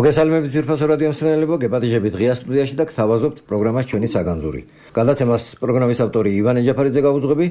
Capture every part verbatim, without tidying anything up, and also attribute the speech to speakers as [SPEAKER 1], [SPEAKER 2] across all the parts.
[SPEAKER 1] მოგესალმებით ძვირფასო რადიო მსმენელებო, გეპატიჟებით ღია სტუდიაში და გთავაზობთ პროგრამას ჩვენი საგანძური. გადაცემას პროგრამის ავტორი ივან ეჯაფარიძე გაუძღვები,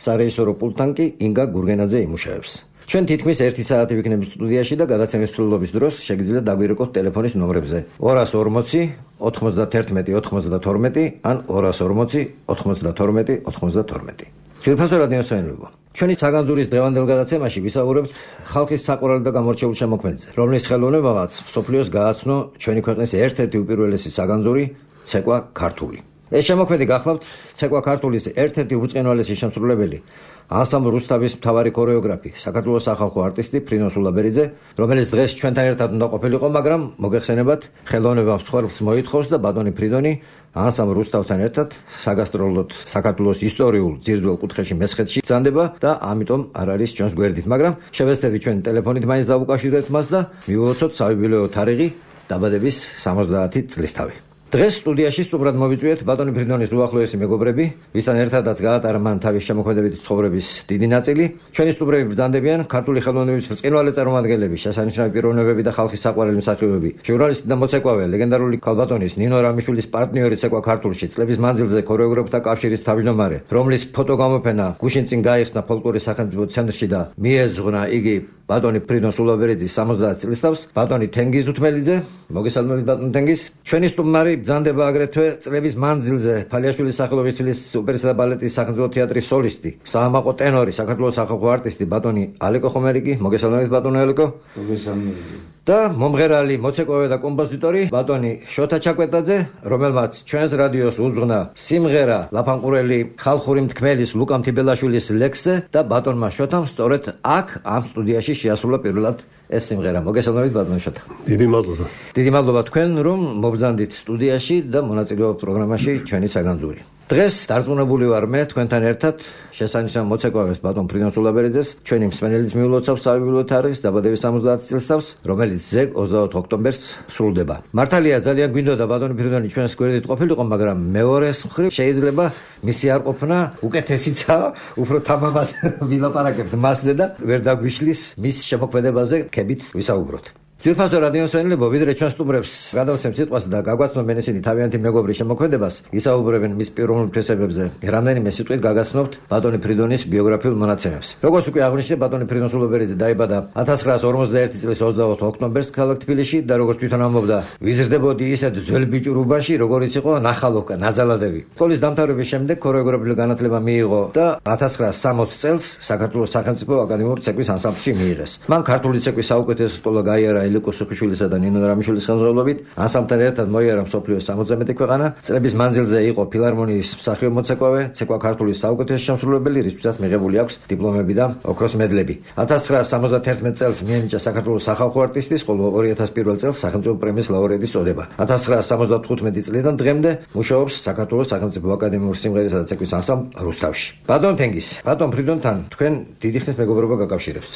[SPEAKER 1] სარეჟისორო პულტთან კი ინგა გურგენაძე იმუშავებს. ჩვენ თითქმის ერთი საათი ვიქნებით სტუდიაში და გადაცემის ცვლილობის დროს შეგიძლიათ დაგვირეკოთ ტელეფონის ნომრებზე ორას ორმოცი ოთხმოცდათერთმეტი ოთხმოცდათორმეტი ან ორას ორმოცი ოთხმოცდათორმეტი ოთხმოცდათორმეტი. ძვირფასო რადიო მსმენელებო, ჩვენი საგანძურის დღევანდელ გადაცემაში ვისაუბრებთ ხალხის საყვარელ და გამორჩეულ შემოქმედზე, რომლის ხელოვნებამაც მსოფლიოს გააცნო ჩვენი ქვეყნის ერთ-ერთი უპირველესი საგანძური ცეკვა ქართული. ეს შემოქმედი გახლავთ ცეკვა ქართულის ერთ-ერთი უწყინვალესი შემსრულებელი, ანსამბლ რუსთავის მთავარი ქორეოგრაფი, საქართველოს სახალხო არტისტი ფრინო სულაბერიძე, რომელიც დღეს ჩვენთან ერთად უნდა ყოფილიყო, მაგრამ მოგეხსენებათ, ხელოვნებამ მსხვერპლს მოითხოვს და ბატონი ფრიდონი ანსამბლ რუსთავთან ერთად საგასტროლოდ საქართველოს ისტორიულ ძირძველ კუთხეში მესხეთში ბრძანდება და ამიტომ არ არის ჩვენს გვერდით, მაგრამ შევეცდები ჩვენ ტელეფონით მაინც დავუკავშირდეთ მას და მივულოცოთ საიუბილეო თარიღი დაბადების სამოცდაათი წლისთავი. დღეს სტუდიაში სტუმრად მოვიწვიეთ ბატონი ფრიდონის უახლოესი მეგობრები, ვისთან ერთადაც გაატარა მან თავის შემოქმედებითი ცხოვრების დიდი ნაწილი. ჩვენი სტუმრები ბრძანდებიან ქართული ხელოვნების ბრწყინვალე წარმომადგენლები, შესანიშნავი პიროვნებები და ხალხის საყვარელი მსახიობები, ჟურნალისტი და მოცეკვავე, ლეგენდარული ქალბატონის ნინო რამიშვილის პარტნიორი ცეკვა ქართულში, წლების მანძილზე ქორეოგრაფთა კავშირის თავმჯდომარე, რომლის ფოტოგამოფენა გუშინ წინ გაიხსნა ფოლკლორის სახელმწიფო ცენტრში და მიეძღვნა იგი ბატონი ფრიდონ სულაბერიძის სამოცდაათი წლისთავს, ბატონი თენგიზ დუთმელიძე, მოგესალმებით ბატონი თენგიზ. ჩვენი სტუმარი ბრძანდება აგრეთვე წლების მანძილზე ფალიაშვილის სახელობის თბილისის ოპერისა და ბალეტის სახელმწიფო თეატრის სოლისტი, საამაყო ტენორი, საქართველოს სახალხო არტისტი ბატონი ალეკო ხომერიკი, მოგესალმებით ბატონი ალეკო.
[SPEAKER 2] მოგესალმებით.
[SPEAKER 1] და მომღერალი, მოცეკვავე და კომპოზიტორი ბატონი შოთა ჩაკვეტაძე, რომელმაც ჩვენს რადიოს უძღვნა სიმღერა ლაფანყურელი ხალხური მთქმელის ლუკა მთიბელაშვილის ლექსზე და ბატონმა შოთამ სწორედ აქ ამ სტუდიაში შეასრულა პირველად ეს სიმღერა. მოგესალმებით ბატონი შოთა.
[SPEAKER 2] დიდი მადლობა.
[SPEAKER 1] დიდი მადლობა თქვენ, რომ მობრძანდით სტუდიაში და მონაწილეობთ პროგრამაში ჩვენი საგანძური. დღეს დარწმუნებული ვარ მე თქვენთან ერთად შესანიშნავ მოცეკვავეს ბატონ ფრიდონ სულაბერიძეს, ჩვენი მსმენელიც მიულოცავს საიუბილეო თარიღს დაბადების სამოცდაათი წლისთავს, რომელიც ზეგ ოცდაოთხ ოქტომბერს სრულდება. მართალია ძალიან გვინდოდა ბატონი ფრიდონი ჩვენს გვერდით ყოფილიყო, მაგრამ მეორეს მხრივ შეიძლება მისი არ ყოფნა უკეთესიცაა, უფრო თამამად ვილაპარაკებთ მასზე და ვერ დაგვიშლის მის შემოქმედებაზე ქებით ვისაუბროთ. ძვირფასო რადიო მსმენელებო, ვიდრე ჩვენ სტუმრებს გადავცემთ სიტყვას და გაგვაცნობენ ისინი თავიანთი მეგობრის შემოქმედებას, ისაუბრებენ მის პიროვნულ თვისებებზე, რამდენიმე სიტყვით გაგაცნობთ ბატონი ფრიდონის ბიოგრაფიულ მონაცემებს. როგორც უკვე აღნიშნე, ბატონი ფრიდონ სულაბერიძე დაიბადა ათას ცხრაას ორმოცდაერთი წლის ოცდაოთხ ოქტომბერს ქალაქ თბილისში და როგორც თვითონ ამბობდა, ვიზრდებოდი ისეთ ძველ ბიჭურობაში, როგორიც იყო ნახალოვკა, ნაძალადევი. სკოლის დამთავრების შემდეგ ქორეოგრაფიული განათლება მიიღო და ათას ცხრაას სამოცდაათი წელს საქართველოს სახელმწიფო აკადემიური ცეკვის ანსამბლში მიიღეს. მან ქართული ცეკვის საუკეთესო სკოლა გაიარა ილიკო სოფიშვილისა და ნინო რამიშვილის ხელმძღვანელობით, ანსამბლთან ერთად მოიარა მსოფლიოს სამოცდაათი მეტი ქვეყანა. წლების მანძილზე იყო ფილარმონიის მსახიობ მოცეკვავე, ცეკვა ქართულის საუკეთესო შემსრულებელი, რისთვისაც მიღებული აქვს დიპლომები და ოქროს მედლები. ათას ცხრაას სამოცდათერთმეტ წელს მიენიჭა საქართველოს სახალხო არტისტის, ხოლო ორი ათას პირველ წელს სახელმწიფო პრემიის ლაურეატის წოდება. ათას ცხრაას სამოცდათხუთმეტი წლიდან დღემდე მუშაობს საქართველოს სახელმწიფო აკადემიური სიმღერისა და ცეკვის ანსამბლ რუსთავში. ბატონ თენგიზ, ბატონ ფრიდონთან თქვენ დიდი ხნის მეგობრობა გაკავშირებთ.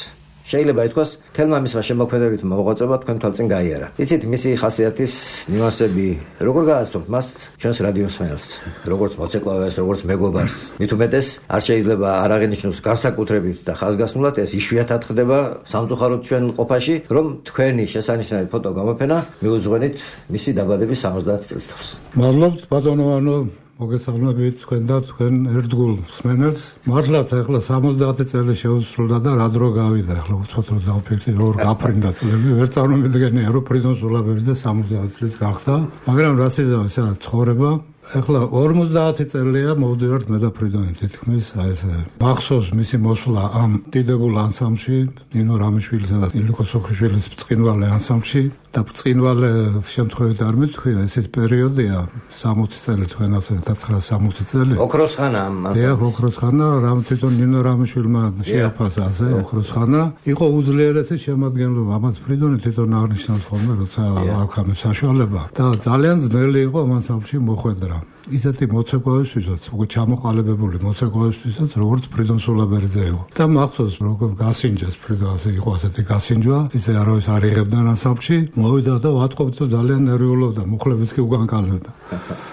[SPEAKER 1] შეიძლება ითქვას, თელმა მისმა შემოქმედებით მოღვაწეობა თქვენ თვალწინ გაიარა. იცით, მისი ხასიათის ნიუანსები როგორ გააცნობთ მას ჩვენს რადიო მსმენელს, როგორც მოცეკვავეს, როგორც მეგობარს. მით უმეტეს, არ შეიძლება არ აღინიშნოს განსაკუთრებით და ხაზგასმულად, ეს იშვიათად ხდება სამწუხაროდ ჩვენ ყოფაში, რომ თქვენი შესანიშნავი ფოტო გამოფენა მიუძღვენით მისი დაბადების სამოცდაათი წლისთავს.
[SPEAKER 2] მადლობთ ბატონო ანო, მოგესალმებით თქვენ და თქვენ ერთგულ მსმენელს. მართლაც ახლა სამოცდაათი წელი შეუსრულდა და რა დრო გავიდა, ახლა უცბად რომ დავფიქრდი, რომ გაფრინდა წლები, ვერ წარმოვიდგენია, რომ ფრიდონ სულაბერიძე სამოცდაათი წლის გახდა, მაგრამ რას იზავ ეს ცხოვრება. ახლა ორმოცდაათი წელია მოვდივართ მე და ფრიდონი თითქმის, აი ეს მახსოვს მისი მოსვლა ამ დიდებულ ანსამბლში, ნინო რამიშვილისა და ილიკო სოფიშვილის ბრწყინვალე ანსამბლში და ბრწყინვალე შემთხვევით არ მეთქვია, ეს ის პერიოდია სამოცი წელი თქვენ ასე ათას ცხრაას სამოცი წელი.
[SPEAKER 1] ოქროს ხანა ამ
[SPEAKER 2] ანსამბლში. ოქროს ხანა, რამ თვითონ ნინო რამიშვილმა შეაფასა ასე ოქროს ხანა. იყო უძლიერესი შემადგენლობა, ამას ფრიდონი თვითონ აღნიშნავს ხოლმე, როცა აქვს ამ საშუალება და ძალიან ძნელი იყო ამ ანსამბლში მოხვედრა. ისეთი მოცეკვავებისთვისაც, უკვე ჩამოყალიბებული მოცეკვავებისთვისაც, როგორც ფრიდონ სულაბერიძე იყო. და მახსოვს, როგორ გასინჯეს ფრიდონ, ასე იყო ასეთი გასინჯვა, ისე არავის არ იღებდა ანსამბლში, მოვიდა და ვატყობთ, ძალიან ნერვიულობდა, მუხლებიც კი უგანკალებდა.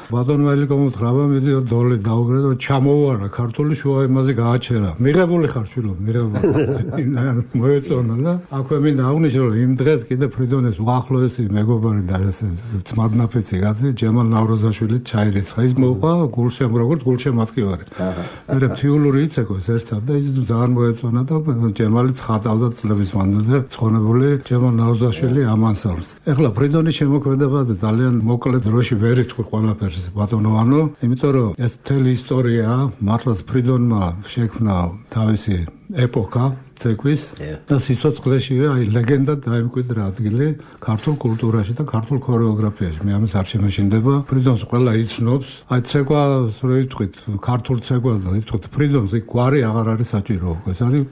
[SPEAKER 2] ბატონ ველიკომოთ ხრაბა მიდიო დოლი დაუგრე და ჩამოვარა ქართული შუა იმაზე გააჩერა. მიღებული ხარ შვილო, მიღებული. მოეწონა და აქვე მინდა აღნიშნო, რომ იმ დღეს კიდე ფრიდონის უახლოესი მეგობარი და ესე ძმადნაფიცი კაცი ჯემალ ნავროზაშვილი ჩაირიცხა. ის მოყვა გულშემ როგორც გულშემატკივარი. მე ფთიულური იცეკოს ერთად და ის ძალიან მოეწონა და ჯემალი ცხადავდა წლების მანძილზე ცხონებული ჯემალ ნავროზაშვილი ამანსალს. ეხლა ფრიდონის შემოქმედებაზე ძალიან მოკლედ დროში ვერ იტყვი ყველაფერს ბატონო ვანო, იმიტომ რომ ეს მთელი ისტორია მართლაც ფრიდონმა შექმნა თავისი ეპოქა ცეკვის და სიცოცხლეშივე აი ლეგენდად დაიმკვიდრა ადგილი ქართულ კულტურაში და ქართულ ქორეოგრაფიაში. მე ამის არ შემეშინდება. ფრიდონს ყველა იცნობს. აი ცეკვას რო იტყვით, ქართულ ცეკვას და იტყვით ფრიდონს, იქ გვარი აღარ არის საჭირო. ეს არის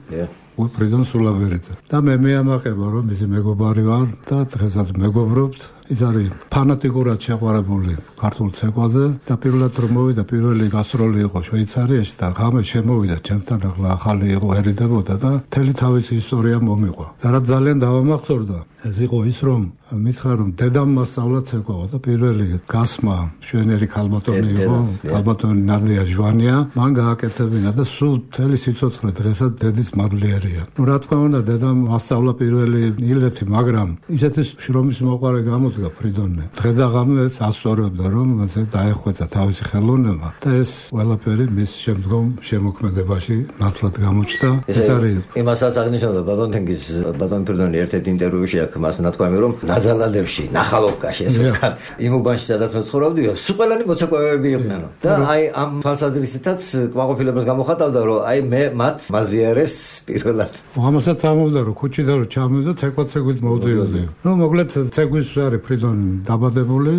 [SPEAKER 2] უი ფრიდონ სულაბერიძე. და მე მეამაყება რომ მისი მეგობარი ვარ და დღესაც მეგობრობთ. ის არის ფანატიკურად შეყვარებული ქართულ ცეკვაზე და პირველად რომ მოვიდა პირველი გასტროლი იყო შვეიცარიაში და ღამე შემოვიდა ჩემთან ახლა ახალი იყო ერიდებოდა და მთელი თავისი ისტორია მომიყვა. და რა ძალიან დავამახსოვრდა ეს იყო ის რომ მითხრა რომ დედამ მასწავლა ცეკვაო და პირველი გასმა შვენერი ქალბატონი იყო ქალბატონი ნადია ჟვანია მან გააკეთებინა და სულ მთელი სიცოცხლე დღესაც დედის მადლიერია. ნუ რა თქმა უნდა დედამ მასწავლა პირველი ილეთი მაგრამ ისეთი შრომის მოყარე გამოდგა ფრიდონი. დღე და ღამე ასწორებდა რომ ასე დაეხვეწა თავისი ხელოვნება და ეს ყველაფერი მის შემდგომ შემოქმედებაში ნათლად გამოჩნდა. ეს არის
[SPEAKER 1] იმასაც აღნიშნავდა ბატონ თენგიზ ბატონ ფრიდონი ერთ-ერთ ინტერვიუში აქ მას ნათქვამი რომ ნაზალადებში, ნახალოვკაში, ესე ვთქვა, იმ უბანში სადაც მე ცხოვრობდიო, სულ ყველანი მოცეკვავეები იყვნენ. და აი ამ თვალსაზრისითაც კმაყოფილებას გამოხატავდა, რომ აი მე მათ მაზვიარეს პირველად.
[SPEAKER 2] ამასაც ამოვდა, რომ ქუჩიდან რომ ჩამოვიდა, ცეკვა-ცეკვით მოვდიოდი. ნუ მოკლედ ცეკვის არის ფრიდონი დაბადებული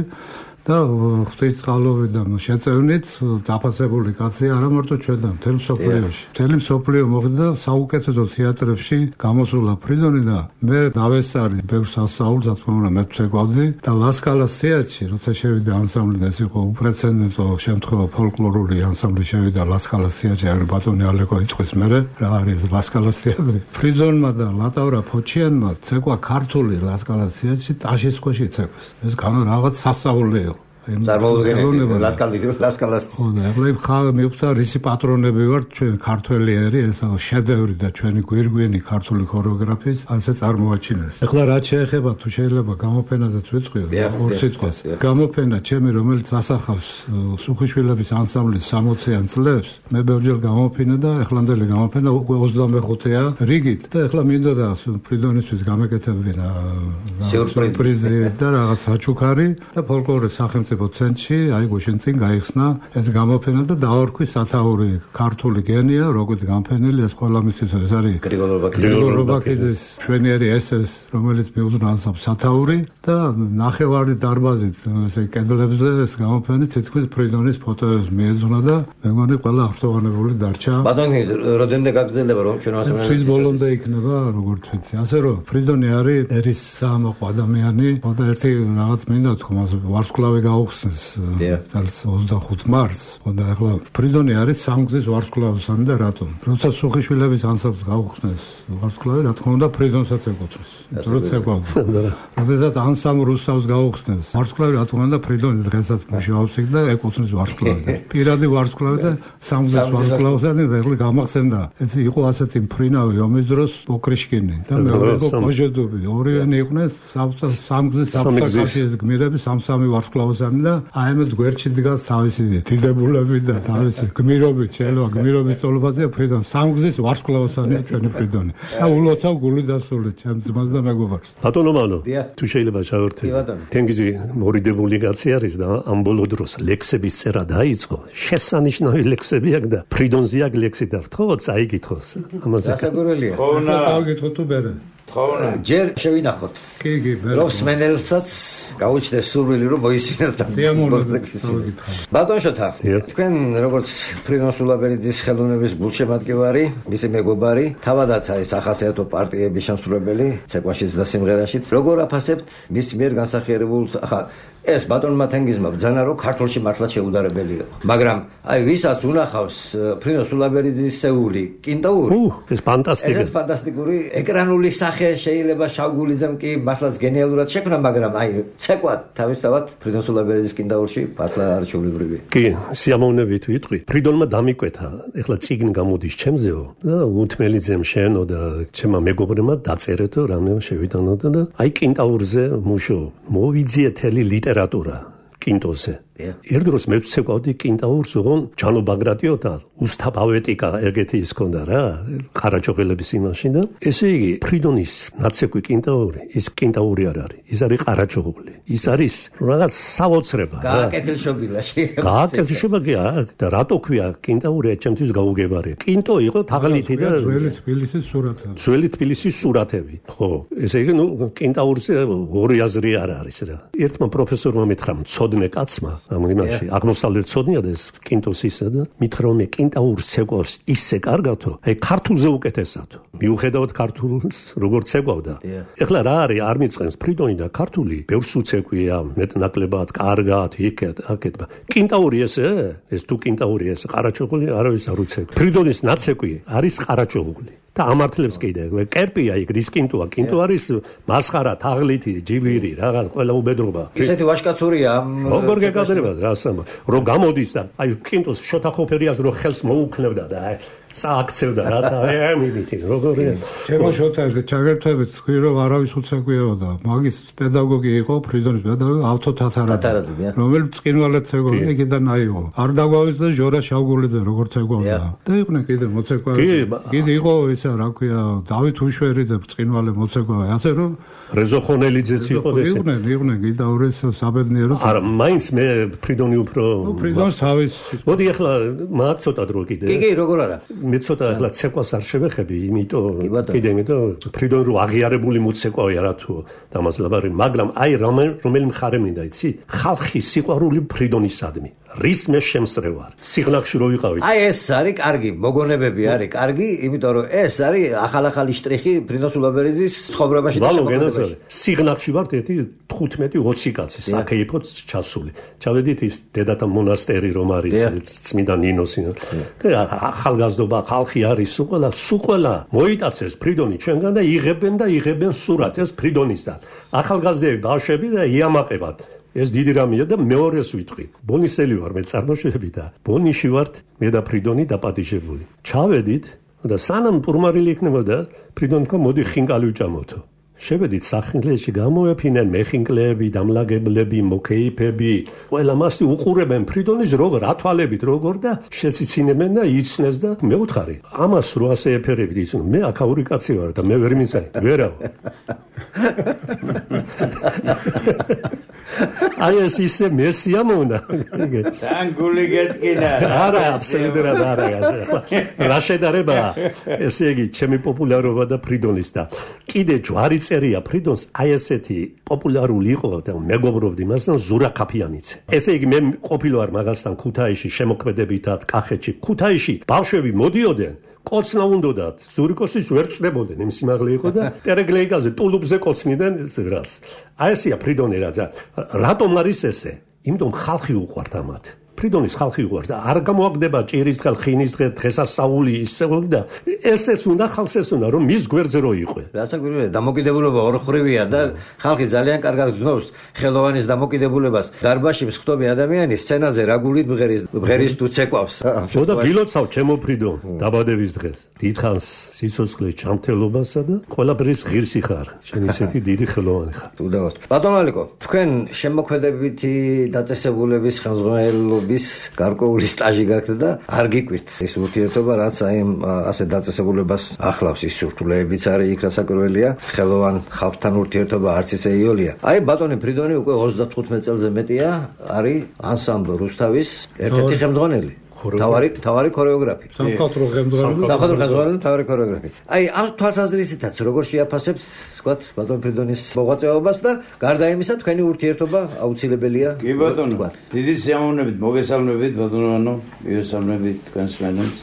[SPEAKER 2] და ღვთისწყალობით და შეწევნით დაფასებული კაცი არა მარტო ჩვენთან, მთელ მსოფლიოში. მთელი მსოფლიო მოხდა საუკეთესო თეატრებში გამოსულა ფრიდონი და მე დავესწარი ბევრ სასწაულს, რა თქმა უნდა, მე ვცეკვავდი და ლასკალას თეატრში, როცა შევიდა ანსამბლი, ეს იყო უპრეცედენტო შემთხვევა, ფოლკლორული ანსამბლი შევიდა ლასკალას თეატრში, არის ბატონი ალეკო იტყვის მერე, რა არის ლასკალას თეატრი. ფრიდონმა და ლატავრა ფოჩიანმა ცეკვა ქართული ლასკალას თეატრში ტაშის ქვეშ იცეკვეს. ეს განო რაღაც სასწაული იყო.
[SPEAKER 1] წარმოუდგენელი ლასკალის ლასკალას
[SPEAKER 2] ხო და ეხლა ხა მივხვდა რისი პატრონები ვართ ჩვენ ქართველი ერი ეს შედევრი და ჩვენი გვირგვინი ქართული ქორეოგრაფიის ასე წარმოაჩინეს. ეხლა რაც შეეხება თუ შეიძლება გამოფენაზეც ვიტყვიო ორ სიტყვას. გამოფენა ჩემი რომელიც ასახავს სუხიშვილების ანსამბლის სამოციან წლებს მე ბევრჯერ გამოფინა და ეხლამდელი გამოფენა ოცდამეხუთეა რიგით და ეხლა მინდოდა ფრიდონისთვის გამეკეთებინა სიურპრიზი და რაღაც საჩუქარი და ფოლკლორის სახელმწიფო ცენტრში, აი გუშინ წინ გაიხსნა ეს გამოფენა და დაარქვი სათაური ქართული გენია, როგორც გამოფენილი ეს ყველა მისთვის ეს არის გრიგოლ რობაქიძის შვენიერი ესეს, რომელიც მიუძღვნა ანსამბლს სათაური და ნახევარი დარბაზით ესე კედლებზე ეს გამოფენი თითქმის ფრიდონის ფოტოებს მიეძღვნა და მე მგონი ყველა აღფრთოვანებული დარჩა.
[SPEAKER 1] ბატონი, რამდენიმე გაგრძელდება რომ ჩვენ ასე
[SPEAKER 2] თვით ბოლომდე იქნება როგორც ვიცი. ასე რომ ფრიდონი არის ერის საამაყო ადამიანი, და ერთი რაღაც მინდა თქვა, მას ვარსკვლავი გაუ ხსნეს წელს ოცდახუთ მარტს, და ახლა ფრიდონი არის სამგზის ვარსკვლავსანი და რატომ? როცა სუხიშვილების ანსამბლს გაუხსნეს ვარსკვლავი, რა თქმა უნდა ფრიდონსაც ეკუთვნის. იმიტომ ცეკვავდა. როდესაც ანსამბლ რუსავს გაუხსნეს ვარსკვლავი, რა თქმა უნდა ფრიდონი დღესაც მუშაობს იქ და ეკუთვნის ვარსკვლავი. პირადი ვარსკვლავი და სამგზის ვარსკვლავსანი და ეხლა გამახსენდა. ეს იყო ასეთი მფრინავი ომის დროს ოქრიშკინი და მეორე იყო კოჟედუბი. ორივენი იყვნენ სამგზის საფრანგეთის გმირები სამსამი ვარსკვლავსანი და აი ამეთ გვერდში დგას თავისი დიდებულები და თავისი გმირობით შეიძლება გმირობის ტოლობაზია ფრიდონ სამგზის ვარსკვლავსანია ჩვენი ფრიდონი და ულოცავ გული დასული ჩემ ძმას და მეგობარს.
[SPEAKER 3] ბატონო მანო თუ შეიძლება ჩავერთე თენგიზი მორიდებული კაცი არის და ამ ბოლო დროს ლექსების წერა დაიწყო შესანიშნავი ლექსები აქვს და ფრიდონზე აქვს ლექსი და რთხოვოთ წაიგითხოს ამაზე
[SPEAKER 1] გასაგურელია
[SPEAKER 2] ხო და წავიკითხო თუ ბერე
[SPEAKER 1] ჯერ შევინახოთ.
[SPEAKER 2] კი, კი,
[SPEAKER 1] რომ სმენელსაც გაუჩნდეს სურვილი რომ მოისმინოს და ბატონ შოთა, თქვენ როგორც ფრიდონ სულაბერიძის ხელოვნების გულშემატკივარი, მისი მეგობარი, თავადაც არის ახასიათო პარტიების შემსრულებელი, ცეკვაშიც და სიმღერაშიც. როგორ აფასებთ მის მიერ განსახიერებულ ახლა ეს ბატონმა თენგიზმა ბრძანა რომ ქართულში მართლა შეუდარებელია. მაგრამ აი ვისაც უნახავს ფრიდონ სულაბერიძის სეული კინტაური,
[SPEAKER 3] ეს ფანტასტიკია.
[SPEAKER 1] ეს ფანტასტიკური ეკრანული სახე შეიძლება შავგულიძემ კი მართლაც გენიალურად შექმნა, მაგრამ აი ცეკვა თავისთავად ფრიდონ სულაბერიძის კინტაურში მართლა არჩეულებრივია.
[SPEAKER 3] კი, სიამოვნებით ვიტყვი. ფრიდონმა დამიკვეთა, ეხლა წიგნი გამოდის ჩემზეო და უთმელიძემ შენო და ჩემმა მეგობრებმა დაწერეთო რამე შევიტანოთ და აი კინტაურზე მუშო მოვიძიეთელი ლიტერატურა კინტოზე. ერთ დროს მე ვცეკვავდი კინტაურს, ოღონ ჯანო ბაგრატიოთა უსთა პოეტიკა ეგეთი ის ქონდა რა, ყარაჩოყელების იმაში და ესე იგი ფრიდონის ნაცეკვი კინტაური, ის კინტაური არ არის, ის არის ყარაჩოყული. ის არის რაღაც საოცრება.
[SPEAKER 1] გააკეთილშობილაში.
[SPEAKER 3] გააკეთილშობილია და რატო ქვია კინტაური ჩემთვის გაუგებარია. კინტო იყო თაღლითი და
[SPEAKER 2] ძველი თბილისის სურათები.
[SPEAKER 3] ძველი თბილისის სურათები. ხო, ესე იგი ნუ კინტაურზე ორი აზრი არ არის რა. ერთმა პროფესორმა მითხრა, მცოდნე კაცმა ამ იმაში აღმოსავლეთ ცოდნია და ეს კინტოსისა და მითხრა რომ კინტაურს ცეკვავს ისე კარგათო, აი ქართულზე უკეთესათო. მიუხედავად ქართულს როგორ ცეკვავდა. ეხლა რა არის არ მიწყენს ფრიდონი და ქართული ბევრს უცეკვია, მეტნაკლებად, კარგად, იქეთ, აქეთ. კინტაური ესე, ეს თუ კინტაური ესე, ყარაჩოყული არავის არ უცეკვი. ფრიდონის ნაცეკვი არის ყარაჩოყული. და ამართლებს კიდე კერპია იქ რისკინტოა კინტო არის მასხარა თაღლითი ჯიბირი რაღაც ყველა უბედრობა
[SPEAKER 1] ისეთი ვაშკაცურია
[SPEAKER 3] როგორ გეკადრება რასამა რომ გამოდის და აი კინტოს შოთა ხოფერიას რო ხელს მოუქნებდა და აი სააქცევდა რა და ამიტი როგორია
[SPEAKER 2] ჩემო შოთა ჩაგერთვებით თქვი რომ არავის უცეკვიებოდა მაგის პედაგოგი იყო ფრიდონის პედაგოგი ავთო თათარაძე რომელიც წინვალეთ ცეკვავდა იქიდან აიღო არ დაგვავის და ჟორა შავგულიძე როგორ ცეკვავდა და იყვნენ კიდე მოცეკვავი კიდე იყო ისა რა ქვია დავით უშვერიძე წინვალე მოცეკვავი ასე რომ
[SPEAKER 3] რეზო ხონელიძეც იყო ეს
[SPEAKER 2] იყვნენ იყვნენ კიდაურეს საბედნიერო
[SPEAKER 3] არა მაინც მე ფრიდონი უფრო
[SPEAKER 2] ფრიდონს თავის
[SPEAKER 3] მოდი ახლა მაგ ცოტა დრო კიდე
[SPEAKER 1] კი კი როგორ არა
[SPEAKER 3] მე ცოტა ახლა ცეკვას არ შევეხები, იმიტომ კიდე იმიტომ ფრიდონ რო აღიარებული მოცეკვავია რა თუ დამაზლაბარი, მაგრამ აი რომელი მხარე მინდა იცი? ხალხი სიყვარული ფრიდონისადმი. რის მე შემსწრევ ვარ. სიღნაღში რო ვიყავით.
[SPEAKER 1] აი ეს არის კარგი, მოგონებები არის კარგი, იმიტომ რომ ეს არის ახალ-ახალი შტრიხი ფრიდონ სულაბერიძის ცხოვრებაში და
[SPEAKER 3] შემოქმედებაში. სიღნაღში ვართ ერთი თხუთმეტი ოცი კაცი, საქეიფოც ჩასული. ჩავედით ის დედათა მონასტერი რომ არის, წმინდა ნინოსი. და ახალგაზრდობა ხალხი არის სულ სულ მოიტაცეს ფრიდონი ჩვენგან და იღებენ და იღებენ სურათს ფრიდონისთან. ახალგაზრდები ბავშვები და იამაყებად. ეს დიდი რამეა და მეორეს ვიტყვი. ბონისელი ვარ მე წარმოშობილი და ბონიში ვართ მე და ფრიდონი დაპატიჟებული. ჩავედით და სანამ პურმარილი იქნებოდა ფრიდონი თქვა მოდი ხინკალი ვჭამოთო. შევედით სახინკლეში გამოეფინენ მეხინკლეები, დამლაგებლები, მოკეიფები, ყველა მასი უყურებენ ფრიდონის როგორ ათვალებით როგორ და შეციცინებენ და იცნეს და მე ვთხარი ამას რო ასე ეფერებით იცნო მე აქაური კაცი ვარ და მე ვერ მიცანი ვერავ აი ეს ისე მესიამონა
[SPEAKER 4] თან გული გეტკინა
[SPEAKER 3] არა აბსოლუტურად არა რა შედარება ესე იგი ჩემი პოპულარობა და ფრიდონის და კიდე ჯვარი წერია ფრიდონს აი ესეთი პოპულარული იყო და მეგობრობდი მასთან ზურა ქაფიანიცე ესე იგი მე ყოფილვარ მაგასთან ქუთაისში შემოქმედებითად კახეთში ქუთაისში ბავშვები მოდიოდნენ კოცნა უნდათ ზურიკოსის ვერ წდებოდნენ იმ სიმაღლე იყო და პერეგლეიკაზე ტულუბზე კოცნიდან რას აი ესია ფრიდონი რა რატომ არის ესე იმიტომ ხალხი უყვართ ამათ ფრიდონის ხალხი უყვართ და არ გამოაგდება ჭირის დღე ხინის დღე დღესასწაული ისეული და ესეც უნდა ხალხს ეს უნდა რომ მის გვერდზე რო იყო
[SPEAKER 1] რასაკვირველია დამოკიდებულება ორხრივია და ხალხი ძალიან კარგად გძნობს ხელოვანის დამოკიდებულებას დარბაში მსხვდომი ადამიანი სცენაზე რა გულით ბღერის ბღერის თუ ცეკვავს
[SPEAKER 3] და გილოცავ ჩემო ფრიდონ დაბადების დღეს დიდხანს სიცოცხლე ჩამთელობასა და ყველაფრის ღირსი ხარ შენ ისეთი დიდი ხელოვანი ხარ
[SPEAKER 1] უდავოდ ბატონო ალიკო თქვენ შემოქმედებითი დაწესებულების ხელმძღვანელო bis გარკვეული სტაჟი გაქვთ და არ გიკვირთ ეს ურთიერთობა რაც აი ასე დაწესებულებას ახლავს ის სურთულეებიც არის იქ რასაკვირველია ხელოვან ხალხთან ურთიერთობა არც ისე იოლია აი ბატონი ფრიდონი უკვე ოცდათხუთმეტ წელზე მეტია არის ანსამბლ რუსთავის ერთ-ერთი ხელმძღვანელი თავარი თავარი ქორეოგრაფი.
[SPEAKER 2] სამხატვრო ხელმძღვანელი.
[SPEAKER 1] სამხატვრო ხელმძღვანელი თავარი ქორეოგრაფი. აი ამ თვალსაზრისითაც როგორ შეაფასებთ, ვთქვათ, ბატონ ფრიდონის მოღვაწეობას და გარდა იმისა თქვენი ურთიერთობა აუცილებელია.
[SPEAKER 4] კი ბატონო, დიდი სიამოვნებით მოგესალმებით ბატონო, მიესალმებით თქვენს მენებს.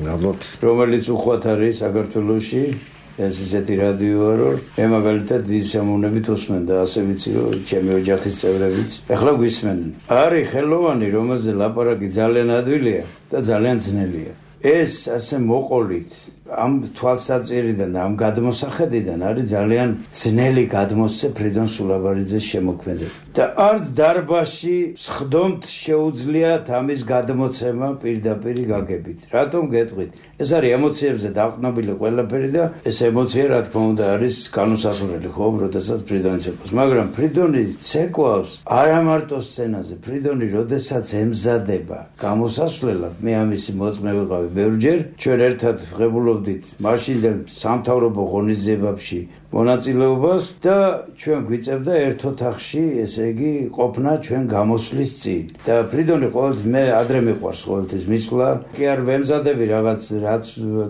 [SPEAKER 1] გავლობთ,
[SPEAKER 4] რომელიც უხვად არის საქართველოში. ეს ისეთი რადიოა, რომ მე მაგალითად დიდი სიამოვნებით უსმენ და ასე ვიცი, რომ ჩემი ოჯახის წევრებიც ახლა გვისმენენ. არის ხელოვანი, რომელზე ლაპარაკი ძალიან ადვილია და ძალიან ძნელია. ეს ასე მოყოლით ამ თვალსაჭერიდან და ამ გადმოსახედიდან არის ძალიან ძნელი გადმოსცე ფრიდონ სულაბარიძეს შემოქმედება. და არც დარბაზში სხდომთ შეუძლიათ ამის გადმოცემა პირდაპირ გაგებით. რატომ გეტყვით? ეს არის ემოციებზე დაყრდნობილი ყველაფერი და ეს ემოცია რა თქმა უნდა არის განუსასურველი ხო, როდესაც ფრიდონი ცეკვავს. მაგრამ ფრიდონი ცეკვავს არა მარტო სცენაზე, ფრიდონი როდესაც ემზადება გამოსასვლელად, მე ამისი მოწმე ვიყავი ბევრჯერ, ჩვენ ერთად ღებულობდით მაშინდელ სამთავრობო ღონისძიებებში მონაწილეობას და ჩვენ გვიწევდა ერთ ოთახში, ესე იგი, ყოფნა ჩვენ გამოსვლის წინ. და ფრიდონი ყოველთვის მე ადრე მიყვარს ყოველთვის მისვლა, კი არ ვემზადები რაღაც რაც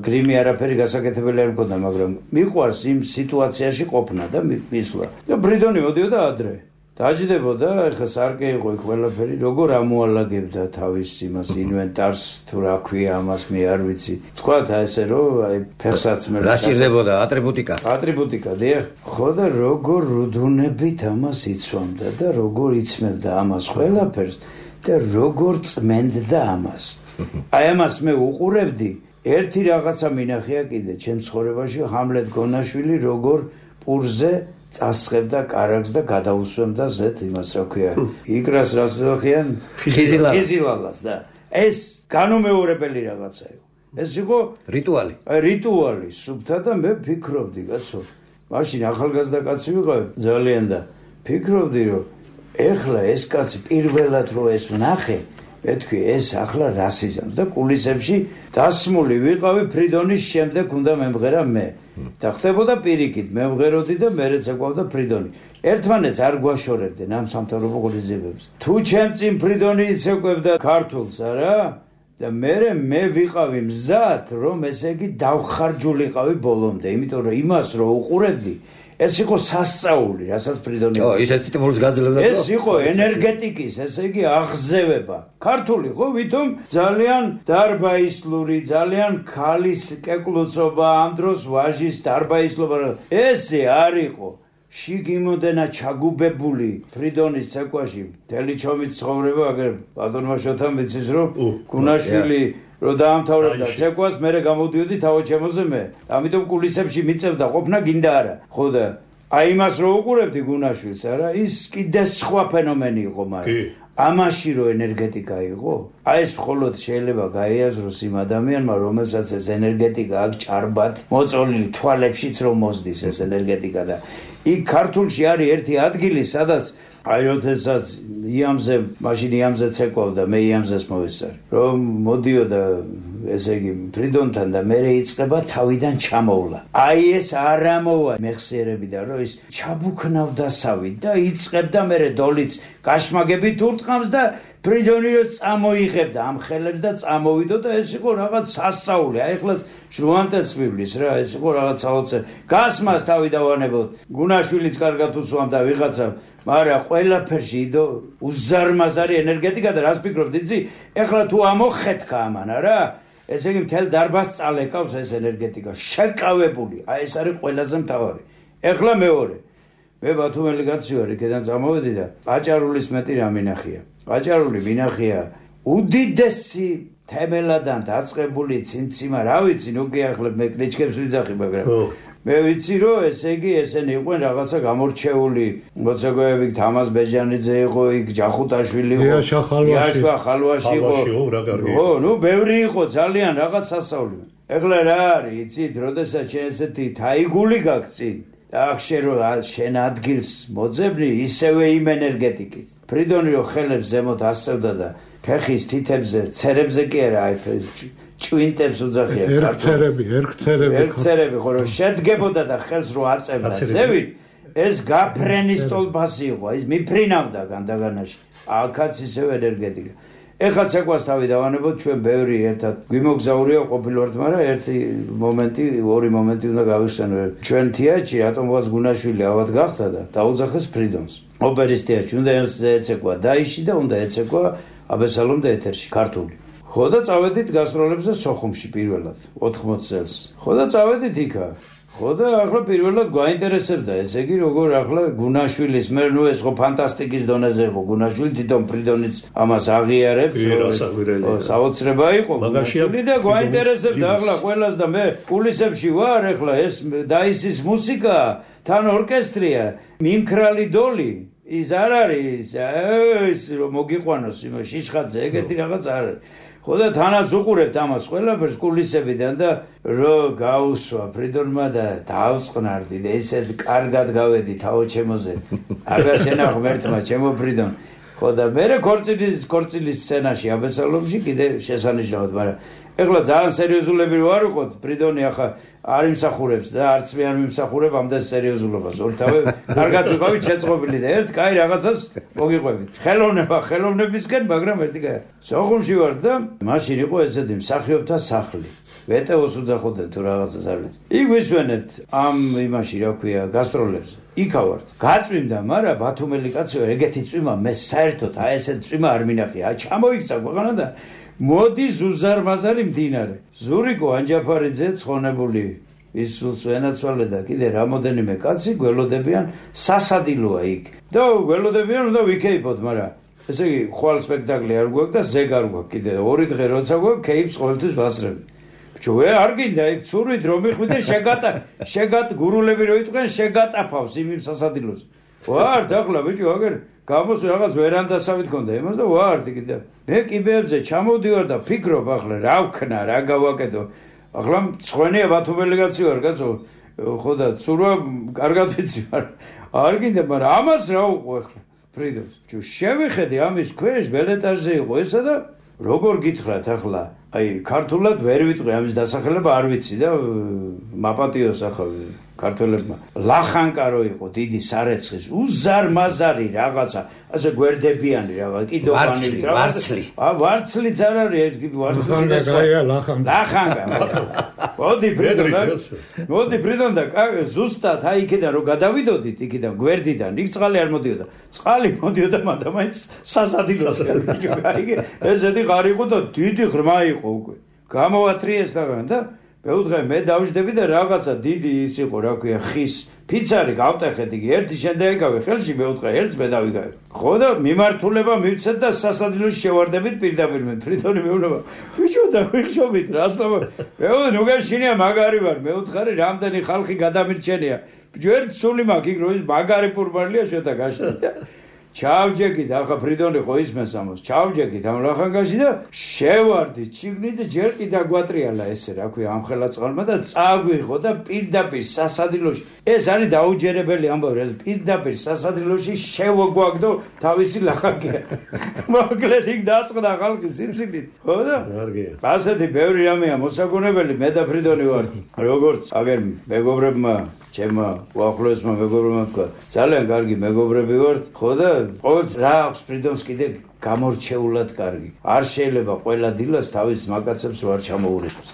[SPEAKER 4] გრიმი არაფერი გასაკეთებელი არ მქონდა, მაგრამ მიყვარს იმ სიტუაციაში ყოფნა და მისვლა. და ფრიდონი მოდიოდა ადრე. დაждდებოდა, ეხლა სარკე იყო იქ ყველაფერი, როგორ ამოალაგებდა თავის იმას ინვენტარს, თუ რა ქვია ამას, მე არ ვიცი. თქვათ ესე რომ აი ფეხსაც მე
[SPEAKER 1] რა სჭირდებოდა ატრიბუტიკა.
[SPEAKER 4] ატრიბუტიკა, დიახ. ხო და როგორ რუდუნებით ამას იცვამდა და როგორ იცმევდა ამას ყველაფერს და როგორ წმენდდა ამას. აი ამას მე უყურებდი, ერთი რაღაცა მინახია კიდე ჩემ ცხოვრებაში, ჰამლეთ გონაშვილი როგორ პურზე წასხებდა კარაგს და გადაუსვამდა ზეთ იმას რა ქვია იკრას რას ვახიან ხიზილალას და ეს განუმეორებელი რაღაცა იყო. ეს იყო
[SPEAKER 1] რიტუალი.
[SPEAKER 4] აი რიტუალი სუფთა და მე ფიქრობდი, კაცო, მაშინ ახალგაზრდა კაცი ვიყავი ძალიან და ფიქრობდი რომ ეხლა ეს კაცი პირველად რო ეს ვნახე, მეთქვი ეს ახლა რასიზმს და კულისებში დასმული ვიყავი ფრიდონის შემდეგ უნდა მემღერა მე. და ხდებოდა პირიქით, მე მღეროდი და მე რეცეკვავდა ფრიდონი. ერთმანეთს არ გვაშორებდნენ ამ სამთავრობო ღონისძიებებს. თუ ჩემ წინ ფრიდონი იცეკვებდა ქართულს, არა? და მე მე ვიყავი მზად, რომ ესე იგი დავხარჯულიყავი ბოლომდე, იმიტომ რომ იმას რო უყურებდი, ეს იყო სასწაული, რასაც ფრიდონი.
[SPEAKER 1] ო, ისეთი ტიმურს გაძლევდა.
[SPEAKER 4] ეს იყო ენერგეტიკის, ესე იგი აღზევება. ქართული ხო, ვითომ ძალიან დარბაისლური, ძალიან ქალის კეკლუცობა, ამ დროს ვაჟის დარბაისლობა. ესე არ იყო. შიგიმოდენა ჩაგუბებული ფრიდონის ცეკვაში, მთელი ჩომის ცხოვრება, აგერ ბატონმა შოთამ ვიცის რომ გუნაშვილი რომ დაამთავრებდა ცეკვას, მე გამოდიოდი თავოჩემოზე მე. ამიტომ კულისებში მიწევდა ყოფნა გინდა არა. ხო და აი იმას რო უყურებდი გუნაშვილს, არა, ის კიდე სხვა ფენომენი იყო, მაგრამ ამაში რო ენერგეტიკა იყო, აი ეს მხოლოდ შეიძლება გაიაზროს იმ ადამიანმა, რომელსაც ეს ენერგეტიკა აქ ჭარბად მოწოლილი თვალებშიც რომ მოსდის ეს ენერგეტიკა და იქ ქართულში არის ერთი ადგილი, სადაც აი როდესაც იამზე, მაშინ იამზე ცეკვავდა, მე იამზეს მოვესწარი. რომ მოდიოდა ესე იგი ფრიდონთან და მე იწყება თავიდან ჩამოვლა. აი ეს არ ამოვა მეხსიერებიდან, რომ ის ჩაბუქნავდა სავით და იწყებდა მე დოლიც კაშმაგებით ურტყამს და ფრიდონი რო წამოიღებდა ამ ხელებს და წამოვიდო და ეს იყო რაღაც სასწაული. აი ახლა ჟუანტეს ვიბლის რა, ეს იყო რაღაც საოცარ. გასმას თავი დავანებოთ. გუნაშვილიც კარგად უსვამდა ვიღაცა, მაგრამ ყველაფერში იდო უზარმაზარი ენერგეტიკა და რას ფიქრობთ იცი? ეხლა თუ ამოხეთქა ამანა რა, ესე იგი მთელ დარბაზს წალეკავს ეს ენერგეტიკა, შეკავებული. აი ეს არის ყველაზე მთავარი. ეხლა მეორე. მე ბათუმელი კაცი ვარ, იქიდან წამოვედი და ყაჭარულის მეტი რა მინახია. ყაჭარული მინახია უდიდესი თემელადან დაწყებული ციმციმა, რა ვიცი, ნუ კი ახლა მე კრიჩკებს ვიძახი, მაგრამ მე ვიცი რომ ესე იგი ესენი იყვნენ რაღაცა გამორჩეული მოცეკვეები, თამაზ ბეჟანიძე იყო, იქ ჯახუტაშვილი იყო, იაშვა ხალვაში იყო. ხო, ნუ ბევრი იყო ძალიან რაღაც სასწაული. ეხლა რა არის, იცით, როდესაც შენ ესეთი თაიგული გაგწინ და ახშე რომ შენ ადგილს მოძებნი ისევე იმ ენერგეტიკით. ფრიდონი რო ხელებს ზემოთ ასწევდა და ფეხის თითებზე, ცერებზე კი არა, აი ჭვინტებს უძახია.
[SPEAKER 2] ერქცერები, ერქცერები.
[SPEAKER 4] ერქცერები, ხო რომ შედგებოდა და ხელს რო აწევდა ზევით, ეს გაფრენის ტოლფასი იყო, ის მიფრინავდა განდაგანაში. აქაც ისევ ენერგეტიკა. ეხლა ცეკვას თავი დავანებოთ, ჩვენ ბევრი ერთად გვიმოგზაურია ყოფილვართ, მაგრამ ერთი მომენტი, ორი მომენტი უნდა გავიხსენო. ჩვენ თეატრში რატომღაც გუნაშვილი ავად გახდა და დაუძახეს ფრიდონს. ოპერის თეატრში უნდა ეცეკვა დაიში და უნდა ეცეკვა აბესალომ და ეთერში ქართული. ხო და წავედით გასტროლებზე სოხუმში პირველად ოთხმოცი წელს. ხო და წავედით იქა. ხო და ახლა პირველად გვაინტერესებდა, ესე იგი როგორ ახლა გუნაშვილის მე ნუ ეს ხო ფანტასტიკის დონეზე იყო გუნაშვილი, თვითონ ფრიდონიც ამას აღიარებს. საოცრება იყო გუნაშვილი და გვაინტერესებდა ახლა ყველას და მე კულისებში ვარ ახლა ეს დაისის მუსიკა, თან ორკესტრია, მიმქრალი დოლი ის არ არის ეს რომ მოგიყვანოს იმ შიშხაძე ეგეთი რაღაც არ არის. ხო და თანაც უყურებთ ამას ყველაფერს კულისებიდან და რო გაუსვა ფრიდონმა და დავწყნარდი და ესეთ კარგად გავედი თაო ჩემოზე აღარ შენახ მერთმა ჩემო ფრიდონ. ხო და მე ქორწილის ქორწილის სცენაში აბესალომში კიდე შესანიშნავად, მაგრამ ეხლა ძალიან სერიოზულები ვარ ვიყოთ, ფრიდონი ახლა არ იმსახურებს და არც მე არ მიმსახურებ ამდენ სერიოზულობას. ორთავე კარგად ვიყავით შეწყობილი და ერთ კაი რაღაცას მოგიყვებით. ხელოვნება ხელოვნებისკენ, მაგრამ ერთი კაი. სოხუმში ვარ და მაშინ იყო ესეთი მსახიობთა სახლი. ვეტეოს უძახოდნენ თუ რაღაცას არ ვიცი. იქ ვისვენებთ ამ იმაში რა ქვია გასტროლებზე. იქა ვართ. გაწვიმდა, მაგრამ ბათუმელი კაცი ვარ, ეგეთი წვიმა მე საერთოდ აი ესეთ წვიმა არ მინახია. ჩამოიქცა ქვეყანა და მოდი ზუზარმაზარი მდინარე. ზურიკო ანჯაფარიძე ცხონებული ის სულს ენაცვალე და კიდე რამოდენიმე კაცი გველოდებიან სასადილოა იქ. და გველოდებიან უნდა ვიქეიფოთ, მაგრამ ესე იგი ხვალ სპექტაკლი არ გვაქვს და ზეგ არ გვაქვს კიდე ორი დღე როცა გვაქვს კეიფს ყოველთვის ვასწრები. ბიჭო ვე არ გინდა იქ ცურვით რომ მიხვიდე შეგატა შეგატ გურულები რო იტყვენ შეგატაფავს იმ სასადილოს. ვარ დახლა ბიჭო აგერ გამოს რაღაც ვერანდასავით გქონდა იმას და ვარ კიდე მე კიბეებზე ჩამოვდივარ და ფიქრობ ახლა რა ვქნა რა გავაკეთო. ახლა მწვენია ბათუმელი კაცი ვარ კაცო ხო და ცურვა კარგად ვიცი მაგრამ არ გინდა მაგრამ ამას რა უყო ახლა ფრიდოს ჯო შევიხედე ამის ქვეშ ბელეტაჟზე იყო ესა და როგორ გითხრათ ახლა აი ქართულად ვერ ვიტყვი ამის დასახელება არ ვიცი და მაპატიოს ახლა ქართველებმა ლახანკა რო იყო დიდი სარეცხის უზარმაზარი რაღაცა ასე გვერდებიანი რაღაც კიდოვანი
[SPEAKER 1] ვარცლი
[SPEAKER 4] ა ვარცლიც არ არის ვარცლი და
[SPEAKER 2] ლახანკა
[SPEAKER 4] ლახანკა მოდი ფრიდონ მოდი ფრიდონ და ზუსტად აი იქიდან რო გადავიდოდით იქიდან გვერდიდან იქ წყალი არ მოდიოდა წყალი მოდიოდა მაგრამ მაინც სასადილოს გაიგე ესეთი ღარი იყო და დიდი ღრმა იყო უკვე გამოვათრიეს და და მეუთხე მე დავждები და რაღაცა დიდი ის იყო რა ქვია ხის ფიცარი გავტეხეთ იგი ერთი შემდეგ ეკავე ხელში მეუთხე ერთს მე დავიგავე ხო და მიმართულება მივცეთ და სასადილოში შევარდებით პირდაპირ მე ფრიდონი მეუბნება ბიჭო და ვიხშობით რასლობა მეუბნე ნუ გაშინია მაგარი ვარ მეუთხარი რამდენი ხალხი გადამირჩენია ბიჭო ერთ სული მაქვს იქ რო ის მაგარი პურბალია შეთა გაშინდა ჩავჯეკით ახლა ფრიდონი ხო ისმენს ამას ჩავჯეკით ამ ლახანკაში და შევარდი ჩიგნით და ჯერ კიდე დაგვატრიალა ესე რა ქვია ამ ხელაწყალმა და წაგვიღო და პირდაპირ სასადილოში ეს არის დაუჯერებელი ამბავი რა პირდაპირ სასადილოში შევოგვაგდო თავისი ლახანკი მოკლედ იქ დაწყდა ხალხი სიცილით ხო და კარგია ასეთი ბევრი რამეა მოსაგონებელი მე და ფრიდონი ვარ როგორც აგერ მეგობრებმა ჩემმა უახლოესმა მეგობრებმა თქვა ძალიან კარგი მეგობრები ვართ ხო და ყოველთვის რა აქვს ფრიდონს კიდე გამორჩეულად კარგი არ შეიძლება ყველა დილას თავის მაკაცებს ვარ ჩამოურეკოს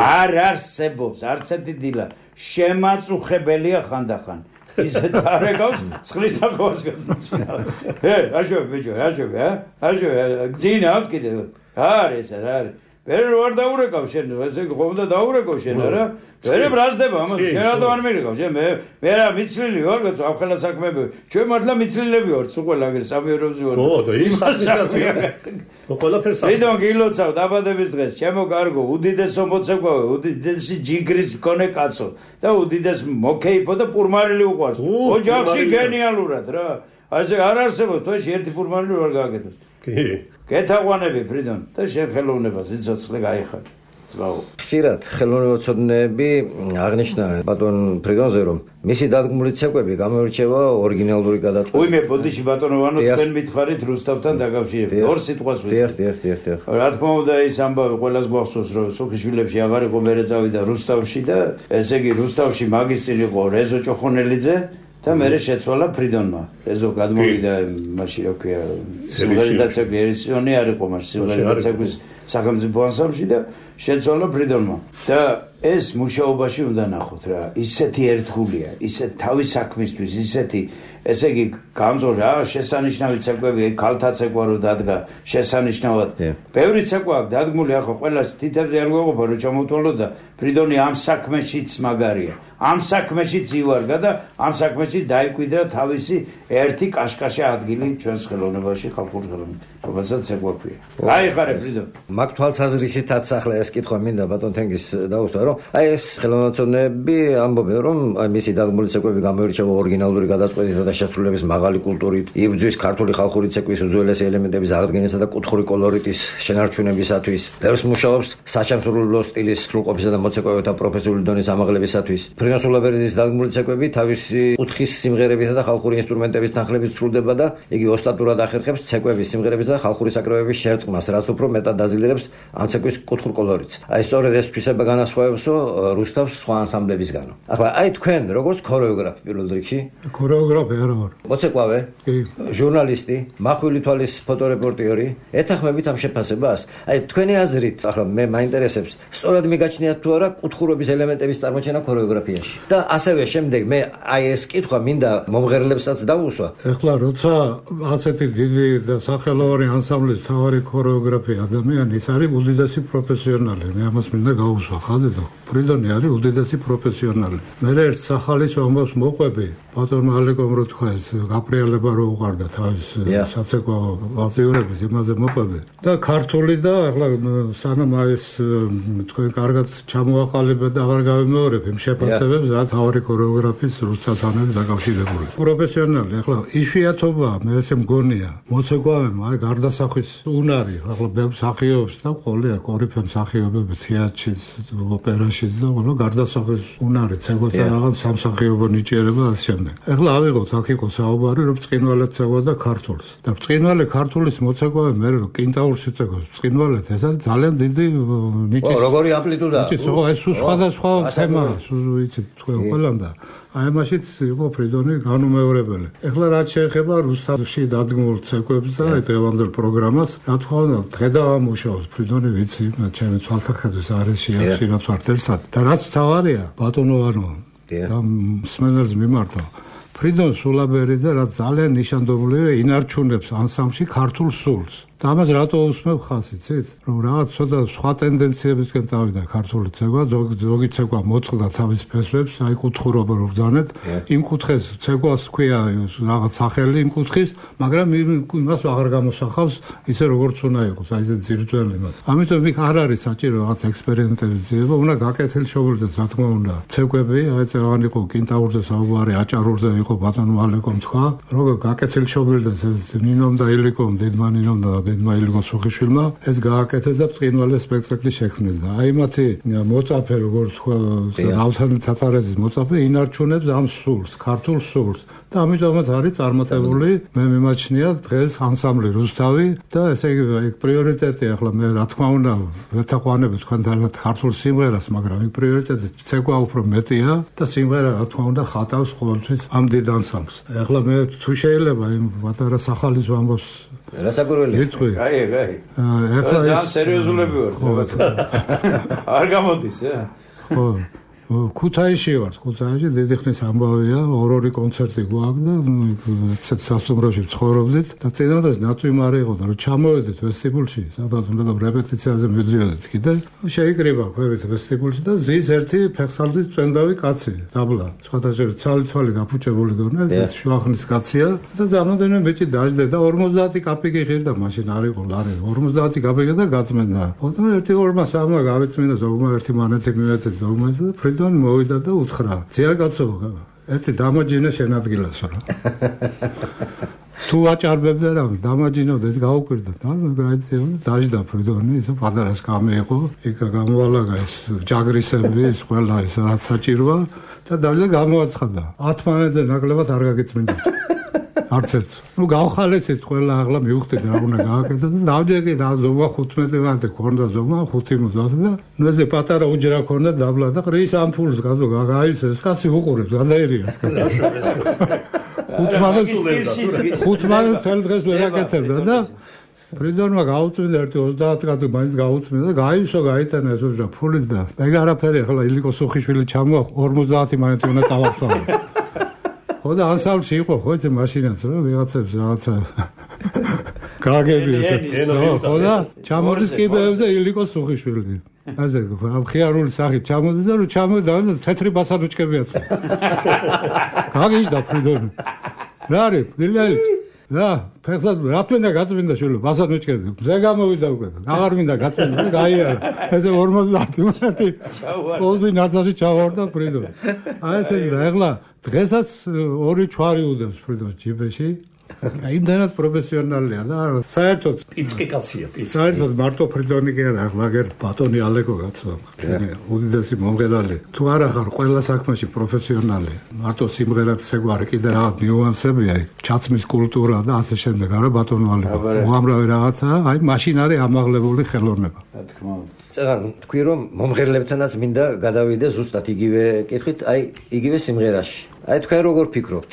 [SPEAKER 4] არ არსებობს არც ერთი დილა შემაწუხებელია ხანდახან ისეთ არეკავს წყლის თახოვას გაწინა ე აშო ბიჭო აშო ა აშო გძინავს კიდე არის რა არის ვერ ვარ დაურეკავ შენ ესე ხომ და დაურეკო შენ არა ვერ ბრაზდება ამას შენ რატომ არ მირეკავ შენ მე მე რა მიცლილი ვარ კაცო ამ ხელა საქმეები ჩვენ მართლა მიცლილები ვართ სულ ყველა აგერ სამეურებზე ვარ
[SPEAKER 3] ხო და ის ასაკია ყველაფერს
[SPEAKER 4] ასე ისო გილოცავ დაბადების დღეს ჩემო კარგო უდიდეს მოცეკვავე უდიდესი ჯიგრის მქონე კაცო და უდიდეს მოკეიფო და პურმარილი უყვარს ოჯახში გენიალურად რა ასე არ არსებობს თოში ერთი პურმარილი ვარ გააკეთოს
[SPEAKER 3] კი
[SPEAKER 4] გეთაყვანები ფრიდონ და შენ ხელოვნებას იცოცხლე გაიხარ ზვაო
[SPEAKER 1] ხშირად ხელოვნებაცოდნეები აღნიშნა ბატონ ფრიდონზე რომ მისი დადგმული ცეკვები გამოირჩევა ორიგინალური გადაწყვეტილებით.
[SPEAKER 4] უიმე ბოდიში ბატონო ვანო თქვენ მითხარით რუსთავთან დაკავშირებით. ორ სიტყვას ვიტყვი.
[SPEAKER 1] დიახ, დიახ, დიახ, დიახ.
[SPEAKER 4] რა თქმა უნდა ის ამბავი ყველას გვახსოვს რომ სოფიშვილებში აღარ იყო მერე წავიდა რუსთავში და ესე იგი რუსთავში მაგისტრი იყო რეზო ჭოხონელიძე და მე შეცვალა ფრიდონმა. ეზო გადმოვიდა მაშინ რა ქვია, სიმღერიდაცები ერისიონი არ იყო მაშინ სიმღერიდაცების სახელმწიფო ანსამბლში და შეცვალა ფრიდონმა. და ეს მუშაობაში უნდა ნახოთ რა, ისეთი ერთგულია, ისეთ თავის საქმისთვის, ისეთი ესე იგი გამწორე რა შესანიშნავი ცეკვები ქალთა ცეკვა რო დადგა შესანიშნავად ბევრი ცეკვა აქვს დადგმული ახლა ყველას თითებზე არ გვეყოფა რომ ჩამოვთვალოთ და ფრიდონი ამ საქმეშიც მაგარია ამ საქმეშიც ივარგა და ამ საქმეშიც დაიკვიდრა თავისი ერთი კაშკაშა ადგილი ჩვენს ხელოვნებაში ხალხურ ხელოვნებაში რომელსაც ცეკვა ქვია გაიხარე ფრიდონ
[SPEAKER 1] მაგ თვალსაზრისითაც ახლა ეს კითხვა მინდა ბატონ თენგის დაუსვა რომ აი ეს ხელოვნაცოვნები ამბობენ რომ აი მისი დადგმული ცეკვები გამოირჩევა ორიგინალური გადაწყვეტითა და შესრულების მაღალი კულტურით, იბრძვის ქართული ხალხური ცეკვის უძველესი ელემენტების აღდგენისა და კუთხური კოლორიტის შენარჩუნებისათვის, ბევრს მუშაობს საჩამსუბლო სტილის სრულყოფისა და მოცეკვავეთა პროფესიული დონის ამაღლებისათვის. ფრიდონ სულაბერიძის დადგმული ცეკვები თავისი კუთხის სიმღერებითა და ხალხური ინსტრუმენტების თანხლებით სრულდება და იგი ოსტატურად ახერხებს ცეკვების, სიმღერების და ხალხური საკრავების შერწყმას, რაც უფრო მეტად დაზიანებს ამ ცეკვის კუთხურ კოლორიტს. აი სწორედ ეს თვისება განასხვავებსო რუსთავს სხვა ანსამბლებისგანო. ახლა აი თქვენ როგორც ქორეოგრაფი პირველ რიგში,
[SPEAKER 2] ქორეოგრაფი
[SPEAKER 1] მოცეკვავე, ჟურნალისტი, მახვილი თვალის ფოტორეპორტიორი, ეთანხმებით ამ შეფასებას? აი თქვენი აზრით, ახლა მე მაინტერესებს, სწორად მიგაჩნიათ თუ არა კუთხურობის ელემენტების წარმოჩენა ქორეოგრაფიაში. და ასევე შემდეგ მე აი ეს კითხვა მინდა მომღერლებსაც დავუსვა.
[SPEAKER 2] ეხლა როცა ასეთი დიდი და სახელოვანი ანსამბლის თავარი ქორეოგრაფი ადამიანი, ის არის უდიდესი პროფესიონალი. მე ამას მინდა გავუსვა ხაზი და ფრიდონი არის უდიდესი პროფესიონალი. მე ერთ სახალის ამბავს მოყვები, ბატონმა ალეკომ რო თქვა ეს გაპრიალება რო უყარდა თავის საცეკვო ვალსიურების იმაზე მოყვები და ქართული და ახლა სანამ ეს თქვენ კარგად ჩამოაყალიბეთ და აღარ გავიმეორებ იმ შეფასებებს რაც თავარი ქორეოგრაფის რუსთასთან არის დაკავშირებული. პროფესიონალი ახლა იშვიათობა მე ესე მგონია მოცეკვავემ აი გარდასახვის უნარი ახლა ბევრ მსახიობს და ყოლია კორიფე მსახიობები თეატრშიც ოპერაშიც და ყველა გარდასახვის უნარი ცეკვას და რაღაც სამსახიობო ნიჭიერება ასე შემდეგ. ეხლა ავიღოთ აქ იყო საუბარი რომ ბრწყინვალედ ცეკვა და ქართულს და ბრწყინვალე ქართულის მოცეკვავე მე რომ კინტაურს იცეკვავს ბრწყინვალედ ეს არის ძალიან დიდი ნიჭი.
[SPEAKER 1] ო როგორი ამპლიტუდა.
[SPEAKER 2] ო ეს სხვადასხვა თემაა ვიცით თქვენ ყველამ და აი ამაშიც იყო ფრიდონი განუმეორებელი. ეხლა რაც შეეხება რუსთავში დადგმულ ცეკვებს და აი დღევანდელ პროგრამას, რა თქმა უნდა, დღე და ამუშაოს ფრიდონი ვიცი, ჩემი თვალსაჩინოს არის შეახში რაც ვარ ერთად. და რაც თავარია, ბატონო არნო და მსმენელს მიმართა ფრიდონ სულაბერიძე რაც ძალიან ნიშანდობლივია ინარჩუნებს ანსამბლში ქართულ სულს. და ამას რატო უსმევ ხას იცით? რომ რაღაც ცოტა სხვა ტენდენციებისკენ წავიდა ქართული ცეკვა, ზოგი ცეკვა მოწყდა თავის ფესვებს, აი კუთხურობა რო ბრძანეთ, იმ კუთხეს ცეკვას ქვია რაღაც სახელი იმ კუთხის, მაგრამ იმას აღარ გამოსახავს ისე როგორც უნდა იყოს, აი ეს ძირძველი მას. ამიტომ იქ არ არის საჭირო რაღაც ექსპერიმენტების ძიება, უნდა გაკეთილშობილდეს რა თქმა უნდა. ცეკვები, აი ეს აღარ იყო კინტაურზე საუბარი, აჭარულზე იყო ბატონო ალეკომ თქვა, როგორ გაკეთილშობილდეს ეს ნინომ და ილიკომ, დედმა ნინომ და დედმა ილიკო სუხიშვილმა ეს გააკეთეს და ბრწყინვალე სპექტაკლი შექმნეს და აი მათი მოწაფე როგორც თქვა ნავთანი თათარაძის მოწაფე ინარჩუნებს ამ სულს, ქართულ სულს და ამიტომაც არის წარმატებული მე მიმაჩნია დღეს ანსამბლი რუსთავი და ესე იგი პრიორიტეტი ახლა მე რა თქმა უნდა ვეთაყვანები თქვენთან ქართულ სიმღერას მაგრამ იქ პრიორიტეტი ცეკვა უფრო მეტია და სიმღერა რა თქმა უნდა ხატავს ყოველთვის ამ დიდ ანსამბლს. ახლა მე თუ შეიძლება იმ პატარა სახალის ვამბობს
[SPEAKER 1] რასაკვირველია.
[SPEAKER 4] აი, აი. ახლა ძალიან სერიოზულები ვართ. არ გამოდის, ა?
[SPEAKER 2] ხო. ქუთაისში ვარ, ქუთაისში დიდი ხნის ამბავია, ორ-ორი კონცერტი გვაქვს და ცეც სასტუმროში ცხოვრობდით და წინადადაც ნატვიმარი იყო და რომ ჩამოვედით ვესტიბულში, სადაც უნდა და რეპეტიციაზე მივდიოდით კიდე, შეიკრიბა ქვევით ვესტიბულში და ზის ერთი ფეხსალდის წვენდავი კაცი, დაბლა. სხვადასხვა ცალი-თვალი გაფუჭებული გონა, ეს შუახნის კაცია და ზამოდენე ბიჭი დაждდა და ორმოცდაათი კაპიკი ღირდა მაშინ არ იყო ლარი, ორმოცდაათი კაპიკი და გაწმენდა. ოღონდ ერთი ორმა სამმა გავიწმინდა ზოგმა ერთი მანეთი მივეცეთ ზოგმა და ფრიდონ მოვიდა და უთხრა: "ძია კაცო, ერთი დამაჯინე შენ ადგილას რა." თუ აჭარბებდა რა დამაჯინოთ ეს გაუკვირდა და გაიწევ დაждდა ფრიდონი ის პატარას გამეიყო იქ გამოვალაგა ეს ჯაგრისები ეს ყველა ეს რაც საჭიროა და დაჟდა გამოაცხადა ათ მანეთზე ნაკლებად არ გაგეწმინდა არც ერთ ნუ გავხალესეთ ყველა ახლა მივხვდით რა უნდა გააკეთო და დავჯერე და ზომა ხუთმეტი მანეთე ქონდა ზომა ხუთი მოცდას და ნუ ესე პატარა უჯრა ქონდა დაბლა და ყრის ამფულს გაზო გააის ეს კაცი უყურებს გადაერიას ხუთმანეთს თელ დღეს ვერ აკეთებდა და ფრიდონმა გაუწმინდა ერთი ოცდაათი კაცი მაინც გაუწმინდა და გაივსო გაიტანა ეს უჯრა ფული და ეგ არაფერი ახლა ილიკო სუხიშვილი ჩამოა ორმოცდაათი მანეთი უნდა წავარსვა ხო და ანსამბლში იყო ხო ეს მაშინაც რა ვიღაცებს რაღაცა გაგები ეს ხო და ჩამოდის კიბეებზე ილიკო სუხიშვილი ასე ხო ხიარული სახით ჩამოდის და რომ ჩამოდა და თეთრი ბასანუჩკებიაც გაგიჟდა ფრიდონი რა არის დილელი რა ფეხსაც რა თქმა გაწმინდა შვილო ბასანუჩკები მზე გამოვიდა უკვე აღარ მინდა გაწმინდა გაიარა ესე ორმოცდაათი მანეთი ოზი ნაცაში ჩავარდა ფრიდონი აი ესე და ეხლა დღესაც ორი ჩვარი უდევს ფრიდონს ჯიბეში აი იმდანაც პროფესიონალია და საერთოდ
[SPEAKER 3] პიცკი კაცია პიცკი
[SPEAKER 2] საერთოდ მარტო ფრიდონი კი არა მაგერ ბატონი ალეკო კაცო უდიდესი მომღერალი თუ არა ხარ ყველა საქმეში პროფესიონალი მარტო სიმღერად შეგვარი კიდე რაღაც ნიუანსებია ჩაცმის კულტურა და ასე შემდეგ არა ბატონო ალეკო უამრავი რაღაცა აი მაშინ არის ამაღლებული ხელოვნება
[SPEAKER 4] რა თქმა უნდა
[SPEAKER 1] წეგან თქვი რომ მომღერლებთანაც მინდა გადავიდე ზუსტად იგივე კითხვით აი იგივე სიმღერაში აი თქვენ როგორ ფიქრობთ